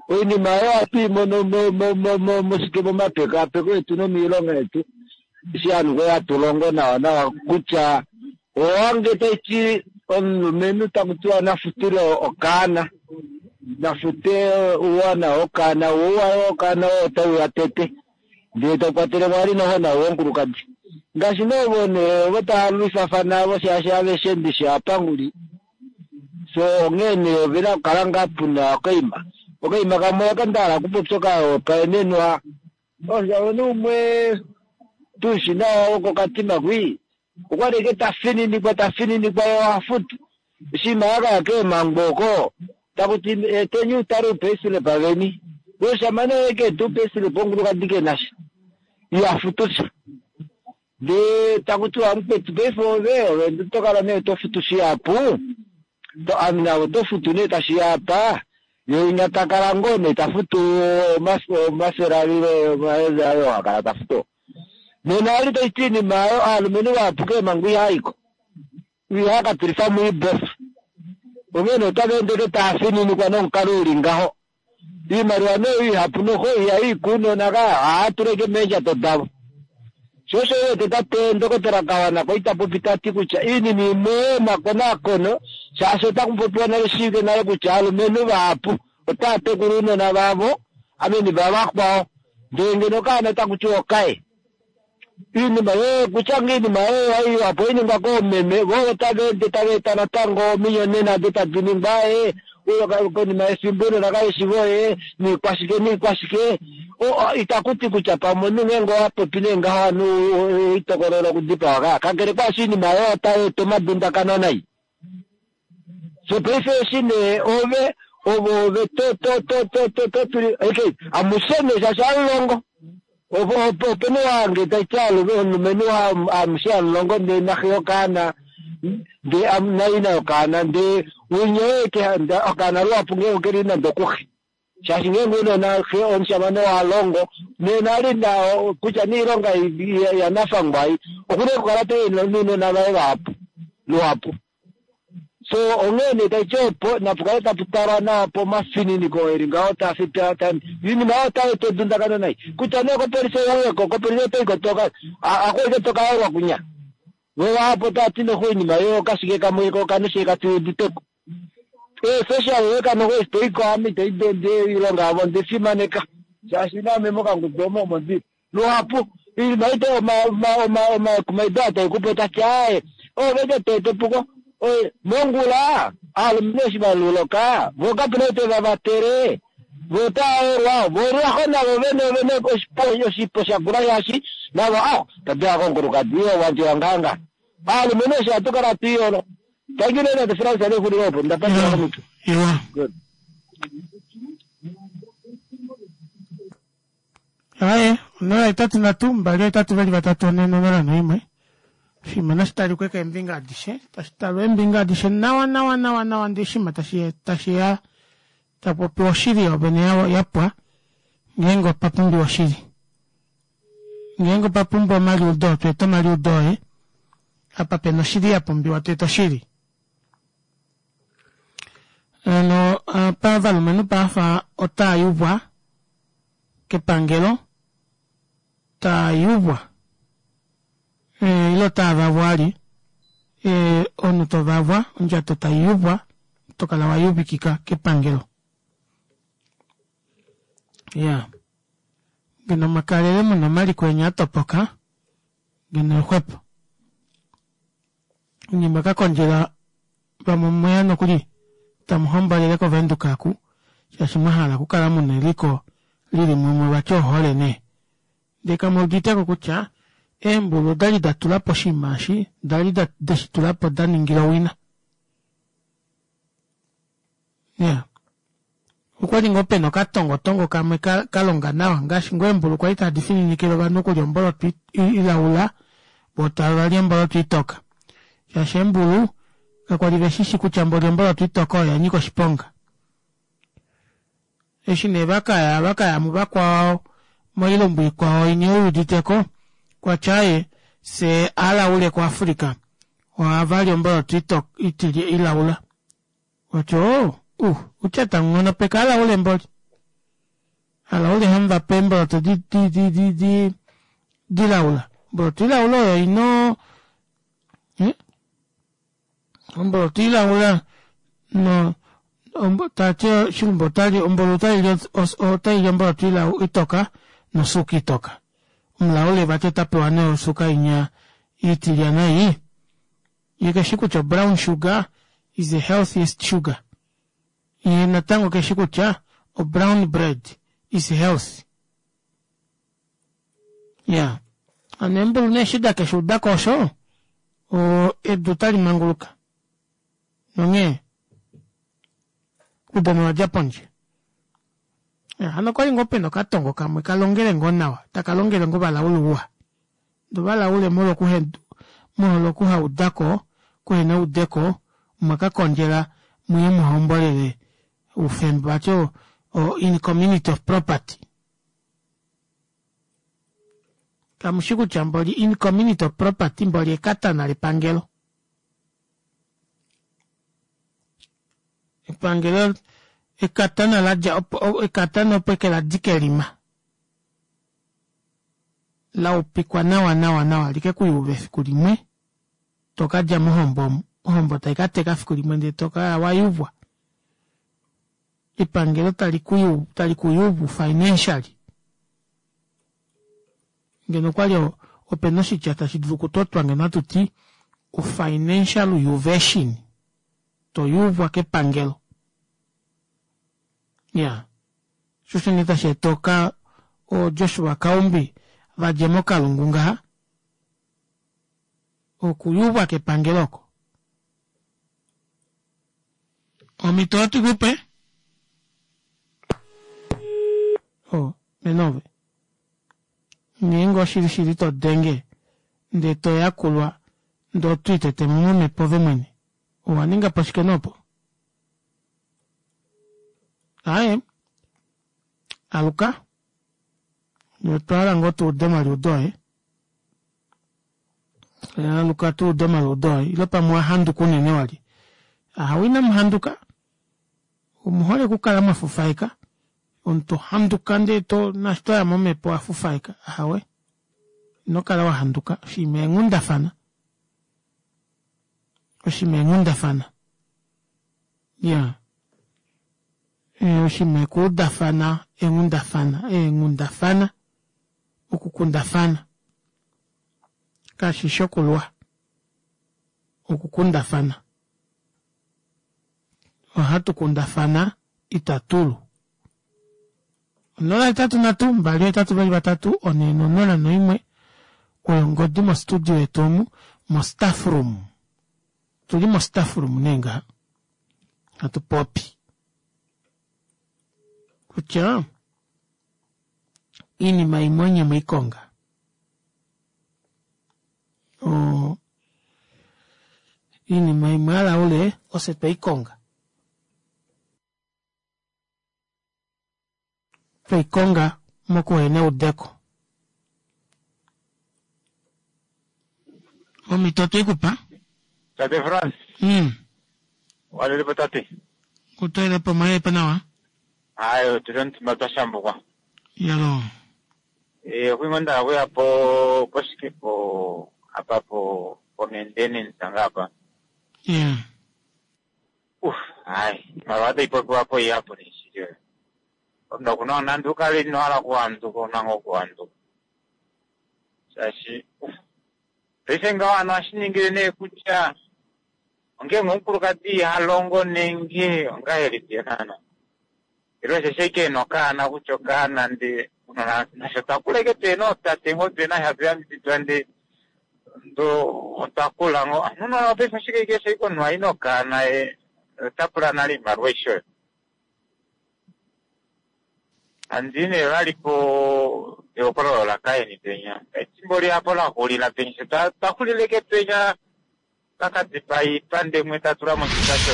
oinima oyo ohatu i mono moshike momapekapeko etu nomiilonga yetu eshi ovanhu kwali hatu longo nawa nawa kutya owange taiti omulumenhu takutiwa nafutile okaana nafute ouwana wokaana wo ouwa wokaana oo otauya tete ndee taukwatele mwali noho nawo womukulukadi ngaashi nee ovo nee ovo tava lwifafana avo shaashi aveshe ndishi ovapanguli so onghee nee ovena okukala ngaa puna okaima okaima kamwe aka ndahala okupopya okahopaenenwa omushamane umwe tushi nawa wokokatima kwii okwali ike tafininikwa tafininikwa ye ohafutu oshinima yakaya keemhango oko takuti eteni utale upayslip veni omushamane oye keeta upayslip omukulukadi kenasha ihafutu sha ndee takutiwa mukwetu paife ove ove otokala nee tofutu shihapu ame oto futu nee tashiya apa ye winya takala ngoo nee tafutu omafele avile omayovi ayo hakala tafutu. Nena ali taiti iinima ayo aalumenhu vahapu keemhango ihaayiko ihaka moibofa onghene otava ende tava fininikwa nomukalo uli ngaho. Iimaliwa nee ihapu noho ihayi kuunona ka ohaya tula meendjato davo. Sho osho uwete tate ndokotola Kawana ko ita popi tati kutya iinima imwe yomakonakono shaashi otaku popiwa nale shiivike nale kutya aalumenhu vahapu otava tekula ounona vavo ameni vavakwao ndee ngeno okaana otaku tiwa okaye. Iinima yo kutya ngoo iinima oyo opo iningwa koomeme vo otava ende tava eta natango ominyonena ado tadi ningwa ee konima yefimbo ounona kaveshi voye niikwashike niikwashike itakuti kutya pamwe omunhu ngeenge owapopi nee ngaho ovanhu itokolela okudipawa ka kakele kwaashi iinima oyo otai eta omadundakano nai. So paife eshi nee ove ovo ove to to to to to to tuli okay amushe nee shaashi hamulongo opena wange taiti omulumenhu amushe hamulongo ndee naxe yokaana ndee naina yokaana ndee winya oye okaana luhapu ngeenge okeli nande okuxe shaashi ngeenge unona xe omushamane walongo nena ali na kutya niilonga yanafangwa ai okuna okukala toyi nounona vaye vahapu luhapu. So onghee nee taiti opo napukale tapu talwa nawa pomafininiko eli ngaho iinima oyo otai eta edundakano nai kutya nee kopolifi ouyeko kopolifi otoiko toka akuike tokaelwa kunya vo vahapu otavati noho oinima yo okashike kamwe ko okanushike katuuditeko. Social worker noho eshi toiko ame itoidi oilonga yavo ondefimaneka shaashi naame mokangudu omo omo ndili luhapu iinima ite omakumaido aa taikupe otati aaye ove toete epuko mongula aalumenhu eshi valuloka vo kapena ou tevavatele vo otavaelwa vo lwaho navo vene vene oshipo shakula shaashi navo ah tadula komukulukadi wandje wanganga aalumenhu eshi hatu kala twiiyolo. Thank you tate Frans alexulilo opo ndapandula komutwe. Iwa. Aye, onola hetatu nhatu mbali hetatu vali vatatu one nonola noimwe. Oshinima nashi talikwe keembinga adishe, tashi talwa eembinga adishe nawa nawa nawa nawa ndee oshinima tashi tashiya tapopiwa oshili yovene yapwa ngeenge opa pumbiwa oshili. Ngeenge opa pumbiwa omaliudo tweeta omaliudo oye, apa pena oshili ya pumbiwa tweeta oshili. Hano apa ovalumenhu paafa otaa yuvwa kepangelo, taa yuvwa ile otaa vavwa ali, omunhu tovavwa ondjato taiyuvwa tokala wayuvikika kepangelo. Iyaa ngeno mwakalele muna omaliko eni atopoka ngeno exwepo. Onye mwakakondjela vamwe omweya nokuli tamuhombolele ko Venduka oku shaashi mwahala okukala muna eliko lili mumwe vati ohole nee. Ndee kamuuditeko kutya eembulu odali datulapo oshinima eshi odali deshitulapo daningila owina. Iyaa okwali ngoo pena okatongotongo kamwe kalonga nawa ngaashi ngoo eembulu kwali tadi fininikile ovanhu okulya omboloto ilaula voo tavali omboloto itoka shaashi eembulu kakwali veshishi kutya mboli omboloto itoka oyo yanyika oshiponga. Eshi nee vakaya vakaya muvakwao moilumbu ikwao inya wuuditeko kwatya aaye fyee alaule ku Africa ohavali omboloto ilaula vati oo uh utya tamunghonopeke alaule mboli alaule hamuvape eemboloto dilaula omboloto ilaula oyo ina omboloto ilaula no tati oshilumbu ombulu otaili omboloto itoka nosuuka itoka omulaule vati otapewa nee osuuka inya itilyana ei yee keshi kutya o brown sugar is the healthiest sugar yee natango keshi kutya o brown bread is healthy. Iyaa hano eembulu nee eshi dakeshuudako osho edu otali manguluka nonghee oudano owadja pondje. Hano okwali ngoo pena okatongo kamwe kalongele ngoo nawa takalongele ngoo ovalaule ouwa ndee ovalaule molwo okuhaudako okuhena eudeko omwakakondjela muye muhombolele oufemba vati o in community of property. Kamushi kutya mboli in community of property mboli ekatana lepangelo. Epangelo ekatana ladja ekatana opo eke ladika elima laupikwa nawa nawa nawa likekuyuve efiku limwe tokadja mohombo omu ohombo taikateka efiku limwe ndee tokala wayuvwa epangelo talikuyuvu financially. Ngeno okwali opena oshitya tashi dulu okutotwa ngeno ohatuti o financial yuvation toyuvwa kepangelo. Iyaa shoo osho nee tasheeta oka oo Joshua Kaumbi vadje mokalungu ngaha okuyuvwa kepangelo oko. Omhito otukupe oh menove ngeenge oshili shili todenge ndee toyakulwa ndee otwiitetemo momhepo ove mwene owaningapo shike nee opo? Aaye aluka otwahala ngoo tuude omaliudo oye aluka tuude omaliudo oye ile pamwe owahanduka unene wali ahawe inamuhanduka omuhole okukala mwafufaeka omunhu tohanduka ndee to naashi toya momhepo owafufaeka ahawe inokala wahanduka oshinima eenghundafana oshinima eenghundafana iyaa oshinima ekuudafana eenghundafana eenghundafana okukundafana kashishi okulwa okukundafana ohatu kundafana itatulu onola hetatu nhatu mbali ohetatu vali vatatu onhe nonola noimwe oyo ongodi mo studio yetu omu mo staff room otuli mo staff room nee ngaha hatu popi kutya iinima imwe onye mweikonga oo iinima imwe alaule ofye tweikonga tweikonga mokuhena eudeko. Omhito otweikupa. Tate Frans. Mm. Walelepo tate. Utoelepo omwelepo nawa. Hayi, otuli omutumba twa shambukwa. Yalo. Eh, okwingo ndala kuya po poshike po apa po po maintenance ngapa. Yeah. Uf, hayi, iimaliwa tayi popiwa po ihapu neshili oyo. Omuntu okuna nande ukale ino hala okuhanduka ouna ngoo okuhanduka. Shaashi, uf, paife ngaho ano ohashi ningile nee kutya ongenge omukulukadi iha longo nenge ongahelipi naana. Ile osheshi ashike ena okaana kutya okaana ndee nasho twakula ashike tuhena ootate ngoo tuhena hatu yambididwa ndee otwa kula ngoo. Ano paife oshike ashike eshi omunhu ayi nokaana ye ota pula nale oimaliwa aishe oyo. Handii nee vali po ehokololo lakaeni penya. Efimbo lihapo laxulila penya sho twaxulile ashike penya pakadipaa iipande imwe tatula moshita sho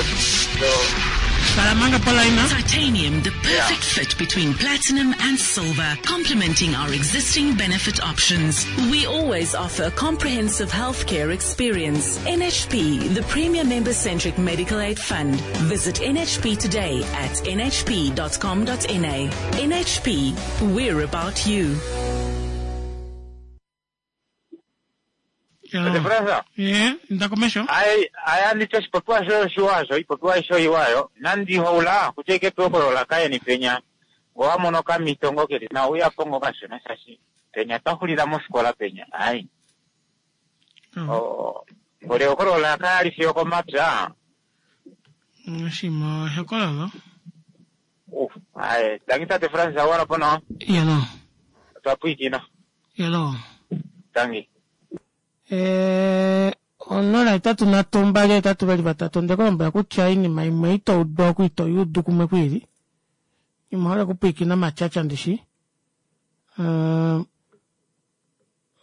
Titanium, the perfect fit between platinum and silver, complementing our existing benefit options. We always offer a comprehensive healthcare experience. N H P, the premier member-centric medical aid fund. Visit N H P today at N H P dot com dot N A. N H P, we're about you. Tate Fransa? Ye, nda komesho. Ai, ai andi oshipopiwa shoye oshiwa osho, ipopiwa aishe oiwa yo. Nandi houla, kutya ike pehokololo lakaeni penya. Ngo wa mono okamhito ngo keli nawa, uya po ngo kashona shaashi penya twa xulila mofikola penya. Ai. O, ngoli ehokololo laka ali fiyo komapya. Oshima ehokololo. Uf, ai, tangi tate Fransa wala po nawa. Yelo. Otwa pwiikina. Yelo. Tangi. Eh, onola hetatu nhatu mbali hetatu vali vatatu onde ku lombwela kutya oinima imwe ito udu oku ito yuudu kumwe kwiili. Imwe hole okupwiikina omatyatya ndishi. Eh,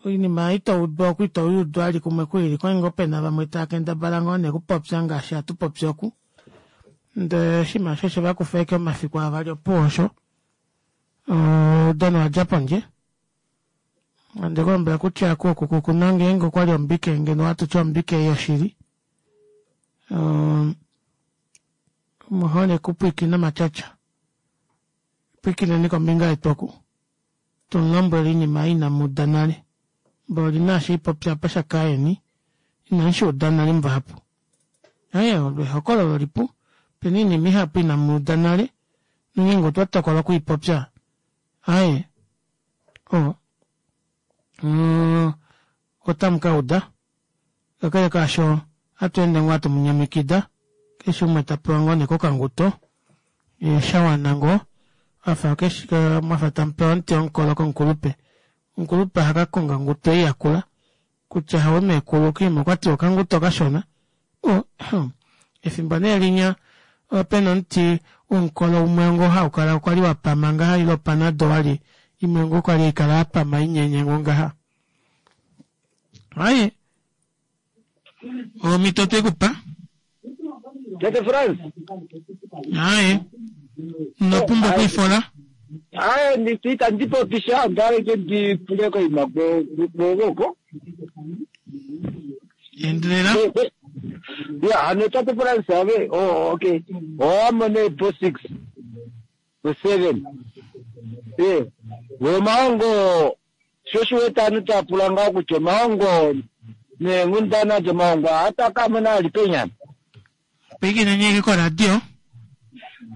oinima ito udu oku ito yuudu ali kumwe kwiili kwali ngoo pena vamwe tava kendabala ngoo nee kupopya ngaashi hatu popi oku. Ndele oshinima osho oshe vakufa ashike omafiku avali opuwo osho. Oudano wadja pondje. Onde ku lombwela kutya ku oku kukuna ngeenge okwali ombike ngeno ohatu ti ombike yoshili. Um, omuhole kupwiikina omatyatya. Pwiikineni kombinga yetu oku. Tumulombwele iinima inamu uda nale. Mboli naashi ipopya apa shakaeni inamu shi uda nale muvahapu. Aye, olo ehokololo lipu. Pena iinima ihapu inamu uda nale. Nongeenge otwa tokola okuipopya. Aye, o, mm, otamu ka uda. Kakele kaasho, ohatu ende ngoo hatu mu nyamikida. Keshe umwe ta pewa ngoo nee kokanguto. E, sha wana ngoo. Afa keshe, mwafa tamu pewa omuti womukolo komukulupe. Omukulupe oha ka konga onguto ei yakula. Kutya hawe meekulu kiima okwa ti okanguto kashona. O, efimbo nee linya ope na omuti womukolo umwe ngoo hau kala okwa li wa pama ngaha ile opanado wali imwe ngoo kwali haikala ya pama inyenye ngoo ngaha. Aye, omhito twe ku pa. Tate Frans. Aye, ino pumbwa okwiifola. Aye, ndi itandi popi sha, onda hala ike ndi pule koima kwogoko. Endelela. Ya, hano Tate Frans ave, oh, okay. Owa mone po six, po seven. Eh, we omaongo, sho shi wete aantu taya pula ngaho kutya omaongo neenghundana dyomaongo ohata ka mona ali penyana. Pwiikine nyeke koradio.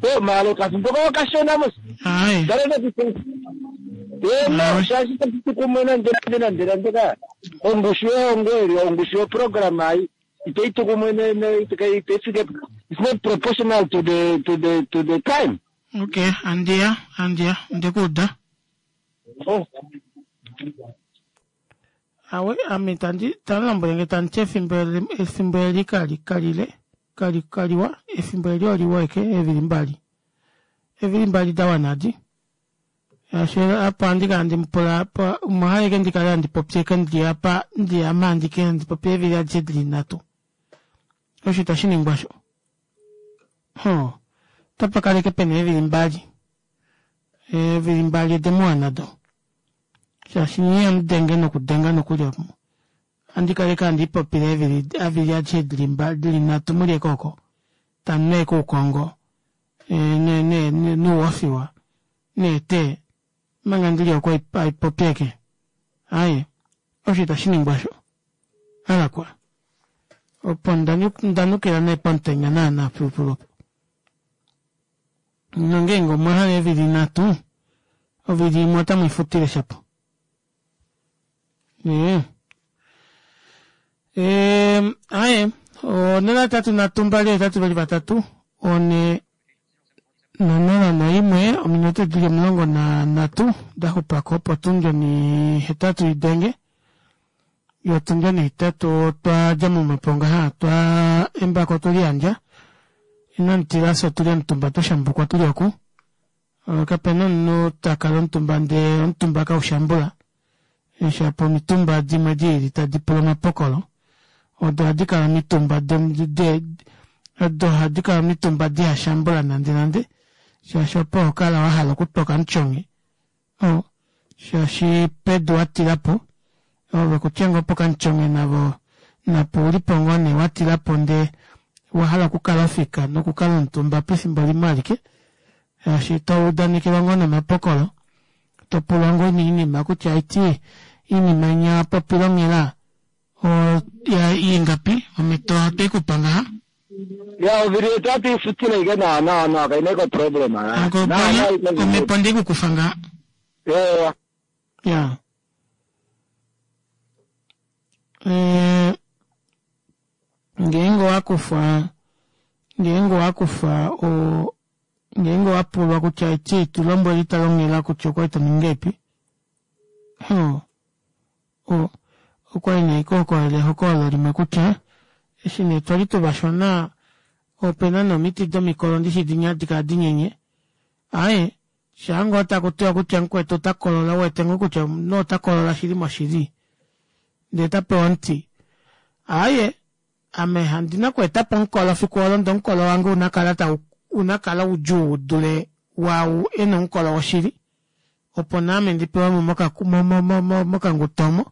Po, maalo kathimbo kao okashona mos. Aye. Ndale nokutya. Eno, shaashi tashi kumwe nande nande nande nande ka. Ongushu yehongo eli, ongushu yoprogram ayi, itayi tu kumwe ne, ne, itayi, itayi fike, it's not proportional to the, to the, to the time. Okay, andiya, andiya, ndekuuda. Oh. Awe, ame tandi, tandi lombwele nge tandi ti efimbo eli, efimbo eli kali, kalile, kali, kaliwa, efimbo eli oliwa eke, eevili mbali. Eevili mbali da wana adi. Shaashi apa ohandi kala ndi mupula, apa, umwe oha eke ndi kale handi popi eke ndi apa, ndi ama handi ke handi popi eevili adishe dili nhatu. Osho itashi ningwa sho. Ho, otapa kala eke pena eevili mbali. Eevili mbali ode mu wana do. Shaashi nye ihamu denge nokudenga nokuli omo. Ohandi kala eke handi ipopile eevili, eevili adishe dili mbali, dili nhatu muli eke oko. Tamu nu eke oukongo. Ne ne nuuofiwa neetee omanga ndili oku haipopi ashike aaye osho itashi ningwa osho alakwa opo ndanukila nee pomutenya naana filufilu opo nongeenge omwahala eevili nhatu ovili imwe otamwiifutile shapo ee aaye onola hetatu nhatu mbali hetatu veli vatatu onhe nonola noimwe ominute dili omulongo nanhatu daxupako opo otundi onihetatu idenge yoo otundi onihetatu otwadja momhepo ngaha twaa embako otweliyandja inamutila fyee otuli omutumba twashambukwa tuli oku kapena omunhu takala omutumba ndee omutumba kaushambula shapo omitumba dimwe diili tadipula omapokolo odo ohadikala omitumba de odo ohadikala omitumba dihashambula nande nande shaashi opo hokala wahala okutwa okamutyonge oo shaashi pedu watilapo ove kutya ngoo pokamutyonge navo napo oulipo ngoo nee watilapo ndee owahala okukala ofika nokukala omutumba pefimbo limwe alike shaashi toudanekelwa ngoo nomapokolo topulwa ngoo nee kutya haiti oinima inya wapopile onghela ingapi omito otweikupa ngaha Ya ovili yetu atuifutile ike nawa nawa nawa kaina iko problem omhepo ndikukufa ngaha yeah. Ya e, ngeenge owakufwa ngeenge owakufwa o ngeenge owapulwa kutya eti tulombwele italonghela kutya okwali toningi epi o okwali nee kokolele ehokololo limwe kutya eshi nee twali tuvashona opena nee omiti domikolo ndishi dinya hadi kala dinyenye aaye shaangoo takutiwa kutya mukwetu ota kolola uwete ngoo kutya omunhu ota kolola shili moshili ndee tapewa omuti aaye ame handina okweetapo omukolo fiku olo ndee omukolo wange unakala tau unakala udjuu udule waau ena omukolo woshili opo naame ndipewemo mokanguto omo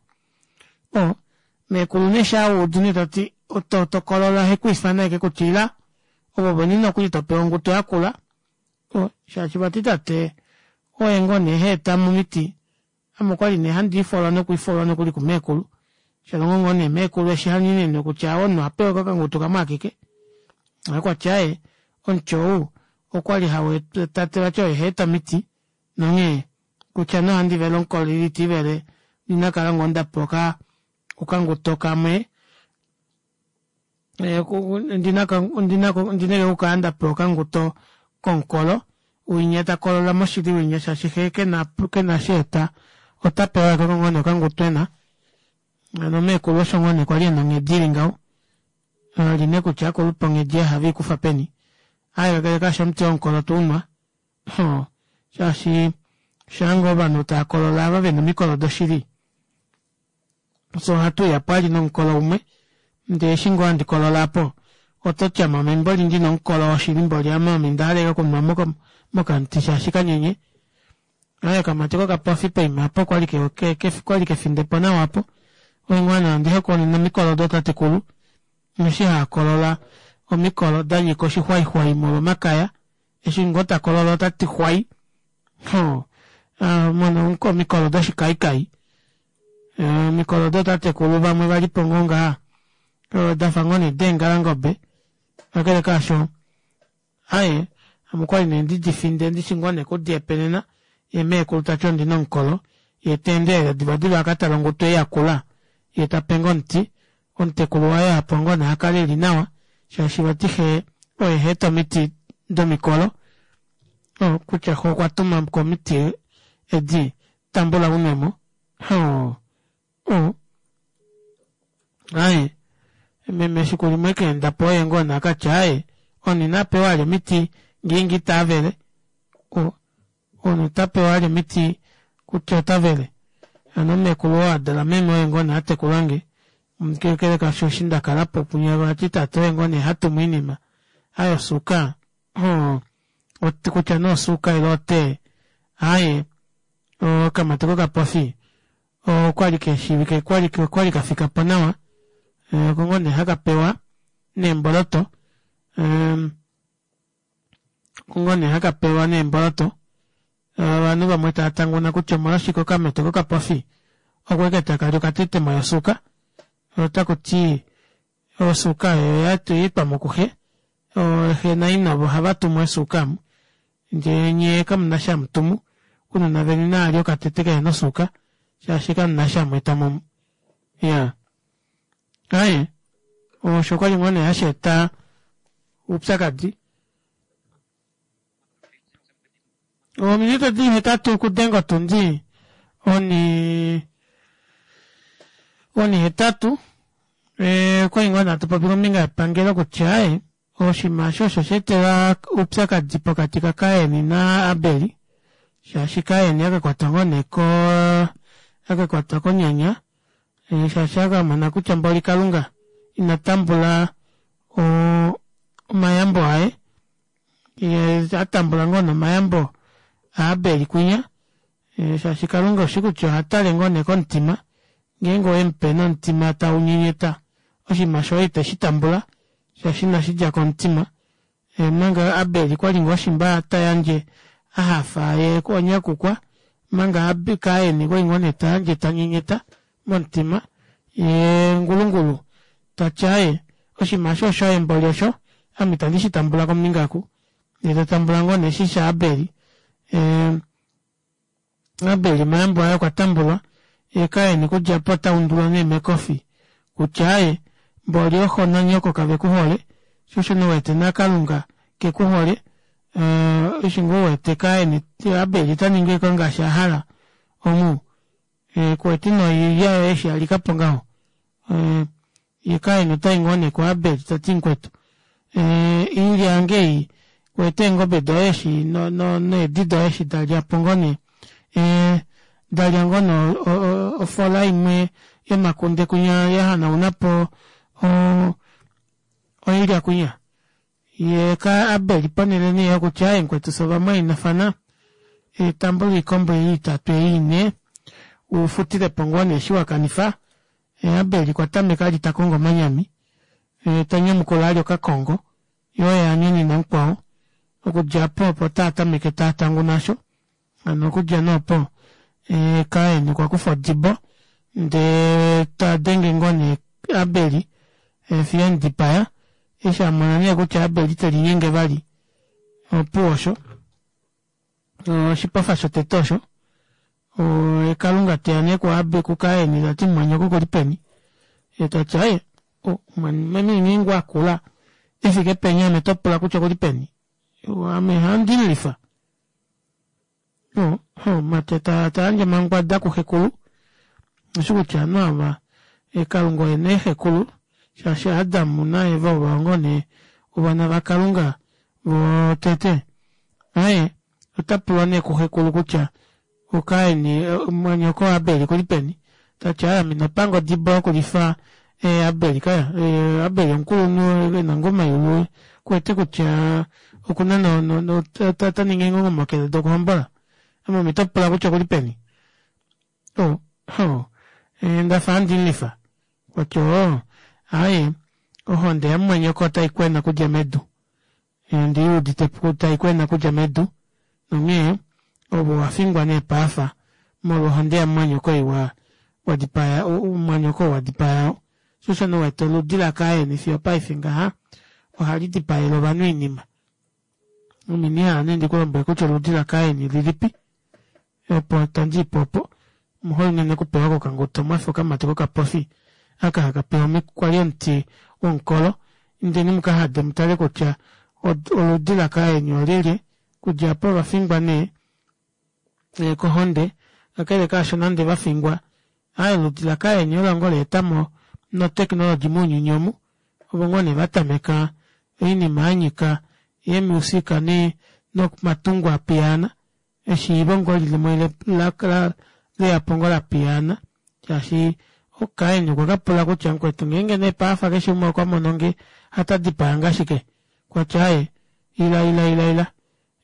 o meekulu nee shaaudu nee tati tokolola ohekwiifana ashike kutya ila ove vene nokuli topewa onguto yakula o shaashi vati tate oye ngoo nee heetamo omiti ame okwali nee handiifolwa nokwiifolwa nokuli kumeekulu shalongo ngoo nee meekulu eshi hanyenene kutya omunhu ohapewa okanguto kamwe akeke okwati aaye omuti ou okwali tate vati oye haeta omiti nonghee kutya nee ohandi vele omukolo ile itiivele ondina ngoo ndapewa okanguto kamwe ondina okukala ndapewa okanguto komukolo winya takolola moshili winya shaashi xee kena kena sheeta otapewa ashike ngoo nee okanguto ena hano meekulu osho ngoo nee kwali ena onghedi ili ngaho ali nee kutya akulupe onghedi ei ohaveikufa peni aaye kakele kaasho omuti womukolo tounwa shaashi shaanga ovanhu taakolola ava vena omikolo doshili fyee ohatuuya pwali nomukolo umwe ndee eshi ngoo handi kolola aapo ototi ame ame mboli ndina omukolo woshili mboli ame ame ondahala ashike okunwa mokamuti shaashi kanyenye aaye okamati kokapofi poima aapo okwali okwali kefindepo nawa aapo oinghwana ondihokonene omikolo dootatekulu eshi haakolola omikolo danyika oshixwaixwai molwa omakaya eshi ngoo takolola otati xwai hoo mono omikolo doshikaikai omikolo dootatekulu vamwe valipo ngoo ngaha dafa ngoo nee deengalangobe kakele kaasho aaye ame okwali nee ndidifinde ndishi ngoo nee okudiepenena yee meekulu tati ondina omukolo yee teendelele divadiva akatale onguto ei yakula yee tapenge omuti omutekulu waye aapo ngoo nee akale eli nawa shaashi vati xee oye haeta omiti domikolo kutya xe okwa omiti edi tambula unwemo hoo aaye meme efiku limwe ekeendapo oye ngoo nee akatya aaye omunhu inapewa vali omiti ngeenge itavele omunhu itapewa vali omiti kutya otavele hano meekulu oo adala meme oye ngoo nee atekulange kakele kaasho eshi ndakalapo punya vati tate oye ngoo nee hatumu oinima aaye osuuka kutya nee osuuka ile otee aaye okamati kokapofi okwali keshiivike okwali kafikapo nawa oko ngoo nee hakapewa neemboloto Oko ngoo nee haka pewa neemboloto. Ovanhu vamwe tava tanguna kutya omolwashike okamete kokapofi oko ashike taka li okatetemo yosuuka. Otaku ti osuuka oyo yaetwamo kuxe, xe naina ovo ohava tumu eesuuka amu ndee nyee kamuna eshi hamutumu ounona veni naalye okatete kehena osuuka shaashi kamuna eshi hamweetamo omu. Iyaa aaye osho okwali ngoo nee hasheeta oupyakadi. Ominute odili hetatu okudenga otundi oni onihetatu okwali ngoo nee hatu popi kombinga yepangelo kutya aaye oshinima aasho osho shaetela oupyakadi pokati ka kain na abel shaashi kain akakwatwa ngoo nee koo akakwatwa konyanya shaashi akamona kutya mboli kalunga ina tambula oo omayambo aye yee atambula ngoo nee omayambo a abel kwinya shaashi kalunga oushi kutya ohatale ngoo nee komutima ngeenge owemupe nomutima taunyenyeta oshinima shoye iteshi tambula shaashi inashidja komutima omanga abel okwali ngoo shimba tayandje ahafa yee okwanyakukwa omanga kain okwali ngoo nee tayandje tanyenyeta momutima yee ngulungulu tati aaye oshinima aasho oshoye mboli osho ame itandi shitambula kombinga oku yee tatambula ngoo nee eshi sha abel ee abel omayambo aye okwa tambulwa yee kain okudja aapo otaundulwa nee mekofi kutya aaye mboli oxo nanyoko kavekuhole shoo osho nee uwete nakalunga kekuhole eshi ngoo uwete kain abel otaningi ashike ngaashi ahala omu kuwete noilya yoye eshi yalikapo ngaho yee kain otayi ngoo nee ku abel tati mukwetu oilya yange ei kuwete eengobe doye eshi needi doye eshi dalyapo ngoo nee dalya ngoo nee ofola imwe yomakunde kwinya yahanaunapo oilya kwinya yee abel ponele nee yokutya aaye mukwetu fyee ovamwainafana tambula oikombo ei itatu ei inhe ufutilepo ngoo nee eshi wakanifa abel okwa tameka vali takongo omanyami tanyamukula vali okakongo yee oye anyonena mukwao okudja aapo opo taatameke taatanguna aasho hano okudja nee opo kain okwakufa odibo ndee tadenge ngoo nee abel fiyo emudipaya eshi amona nee kutya abel itelinyenge vali opuwo osho oshipofa shotete osho kalunga teya nee kukain tati mumwanyoko okuli peni yeetati aaye meme ngeenge akula efike penya ame topula kutya okuli peni ame ohandimulifa mumati tayandje omangwada kuxekulu oushi kutya ovanhu ava kalunga oye nee xekulu shaashi adam na eva ovo ngoo nee ovana vakalunga votete aaye otapulwa nee kuxekulu kutya kain mumwanyoko abel okuli peni tati aaye ame inapanga odibo yokulifa abel kaya abel omukulunhu ena ngoo omayulu okuwete kutya okuna otaningi eenghongomokele dokuhombola ame ome topula kutya okuli peni oo ndafa handimulifa okwati oo aaye ohonde yamumwanyoko otaikwena okudja medu ondiiwudite taikwena okudja medu nonghee ove owafingwa nee paafa molwo ohonde yamumwanyoko ei wadipaya mumwanyoko ou wadipaya ou shoo osho nee uwete oludi lakain fiyo opaife ngaha ohali dipaele ovanhu oinima ame indihala nee ndikulombwele kutya oludi lakain lilipi opo tandiipo opo omuhole unene okupewa kokanguto mwafa okamati kokapofi aka haka pewa kwali omuti womukolo indeni mukahade mutale kutya oludi lakain olyelye okudja aapo ovafingwa nee kohonde kakele kaasho nande vafingwa aaye oludi lakain olo ngoo laetamo no technology mounyuni omu ovo ngoo nee vatameka oinima yanyika eemusika nomatungo apiyaana eshiivo ngoo limwe leyapo ngoo lapiyaana shaashi kain okwa kapula kutya mukwetu ngeenge nee paafa keshe umwe okwamononge ohatadipayange ashike okwati aaye ila ila ila ila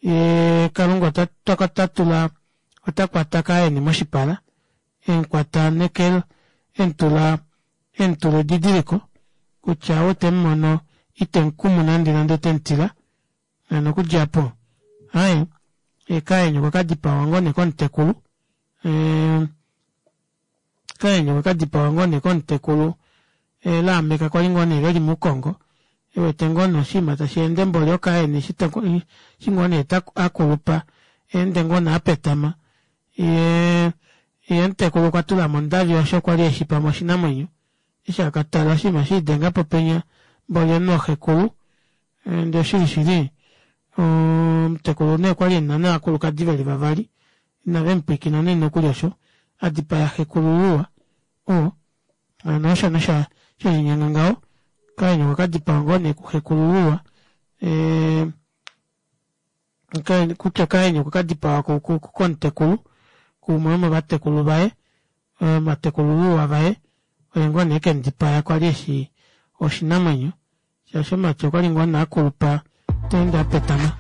yee kalunga otatula otakwata kain moshipala emukwata neke emutula emutula edidiliko kutya ou temumono itemukumu nande nande otemutila hano okudja aapo Aaye kaeni okwa kadipawa ngoo nee komutekulu kaeni okwa kadipawa ngoo nee komutekulu Lameck kwali ngoo nee veli moukongo ewete ngoo nee oshiima tasheende mboli okaeni eshi ngoo nee akulupa eende ngoo nee apetama yee omutekulu okwa tulamo ondavi osho kwali eshi pamwe oshinamwenyo eshi akatala oshiima shelidengapo penya mboli omunhu oxekulu ndee oshili shili omutekulu nee okwali ena nee ovakulukadi veli vavali ina vemupwiikina nee nokuli osho adipaya xekulululwa oo hano osho nee shelinyenga ngaho kain okwa kadipawa ngoo nee kuxekulululwa ee kutya kain okwa kadipawa komutekulu kuumwe womovatekulu vaye ovatekulululwa vaye oye ngoo nee ekemudipaya kwali eshi oshinamwenyo shaashi omumati okwali ngoo nee akulupa teende apetama.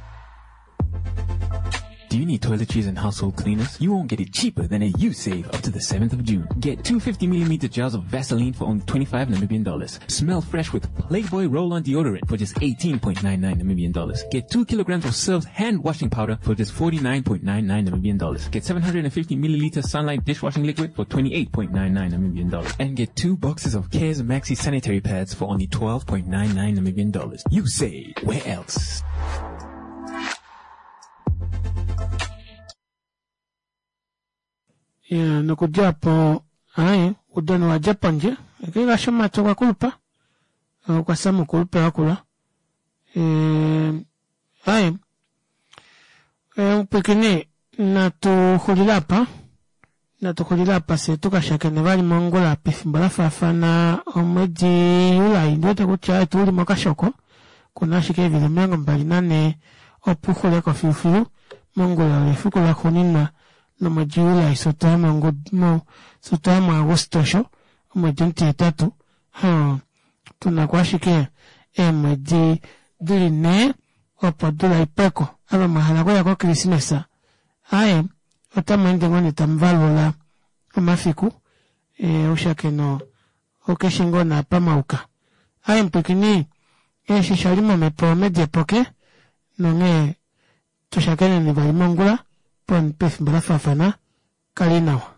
Do you need toiletries and household cleaners? You won't get it cheaper than at Usave up to the seventh of June. Get two fifty millimeter jars of Vaseline for only twenty-five Namibian dollars. Smell fresh with Playboy roll-on deodorant for just eighteen point nine nine Namibian dollars. Get two kilograms of Surf's hand washing powder for just forty-nine point nine nine Namibian dollars. Get seven hundred and fifty milliliter Sunlight dishwashing liquid for twenty-eight point nine nine Namibian dollars. And get two boxes of Cares Maxi sanitary pads for only twelve point nine nine Namibian dollars. Usave. Where else? Ya, nokudja opo aaye oudano owadja pondje ekekasha omumati okwa kulupa okwa fya moukulupe wakula aaye omupwiikini natu xulile aapa natu xulile aapa fyee tukashakene vali mongula pefimbo lafaafana omwedi July ondiwete kutya aaye uli mokashoko okuna ashike eevili omilongo mbali nanhee opo uxuleko filufilu mongula olo efiku laxuuninwa lomwedi July fyee otwaya mu Auguste osho omwedi omutihetatu hoo tunako ashike eemwedi dili nhee opo odula ipweko ava mwahala okuya ko christmas aaye otamweende ngoo nee tamuvalula omafiku oushakeno oukeshe ngoo nee apa mwayuka aaye mupwiikini eshi oshali momepo omedi epoke nonghee tushakeneni vali mongula pefimbo lafaafana kali nawa.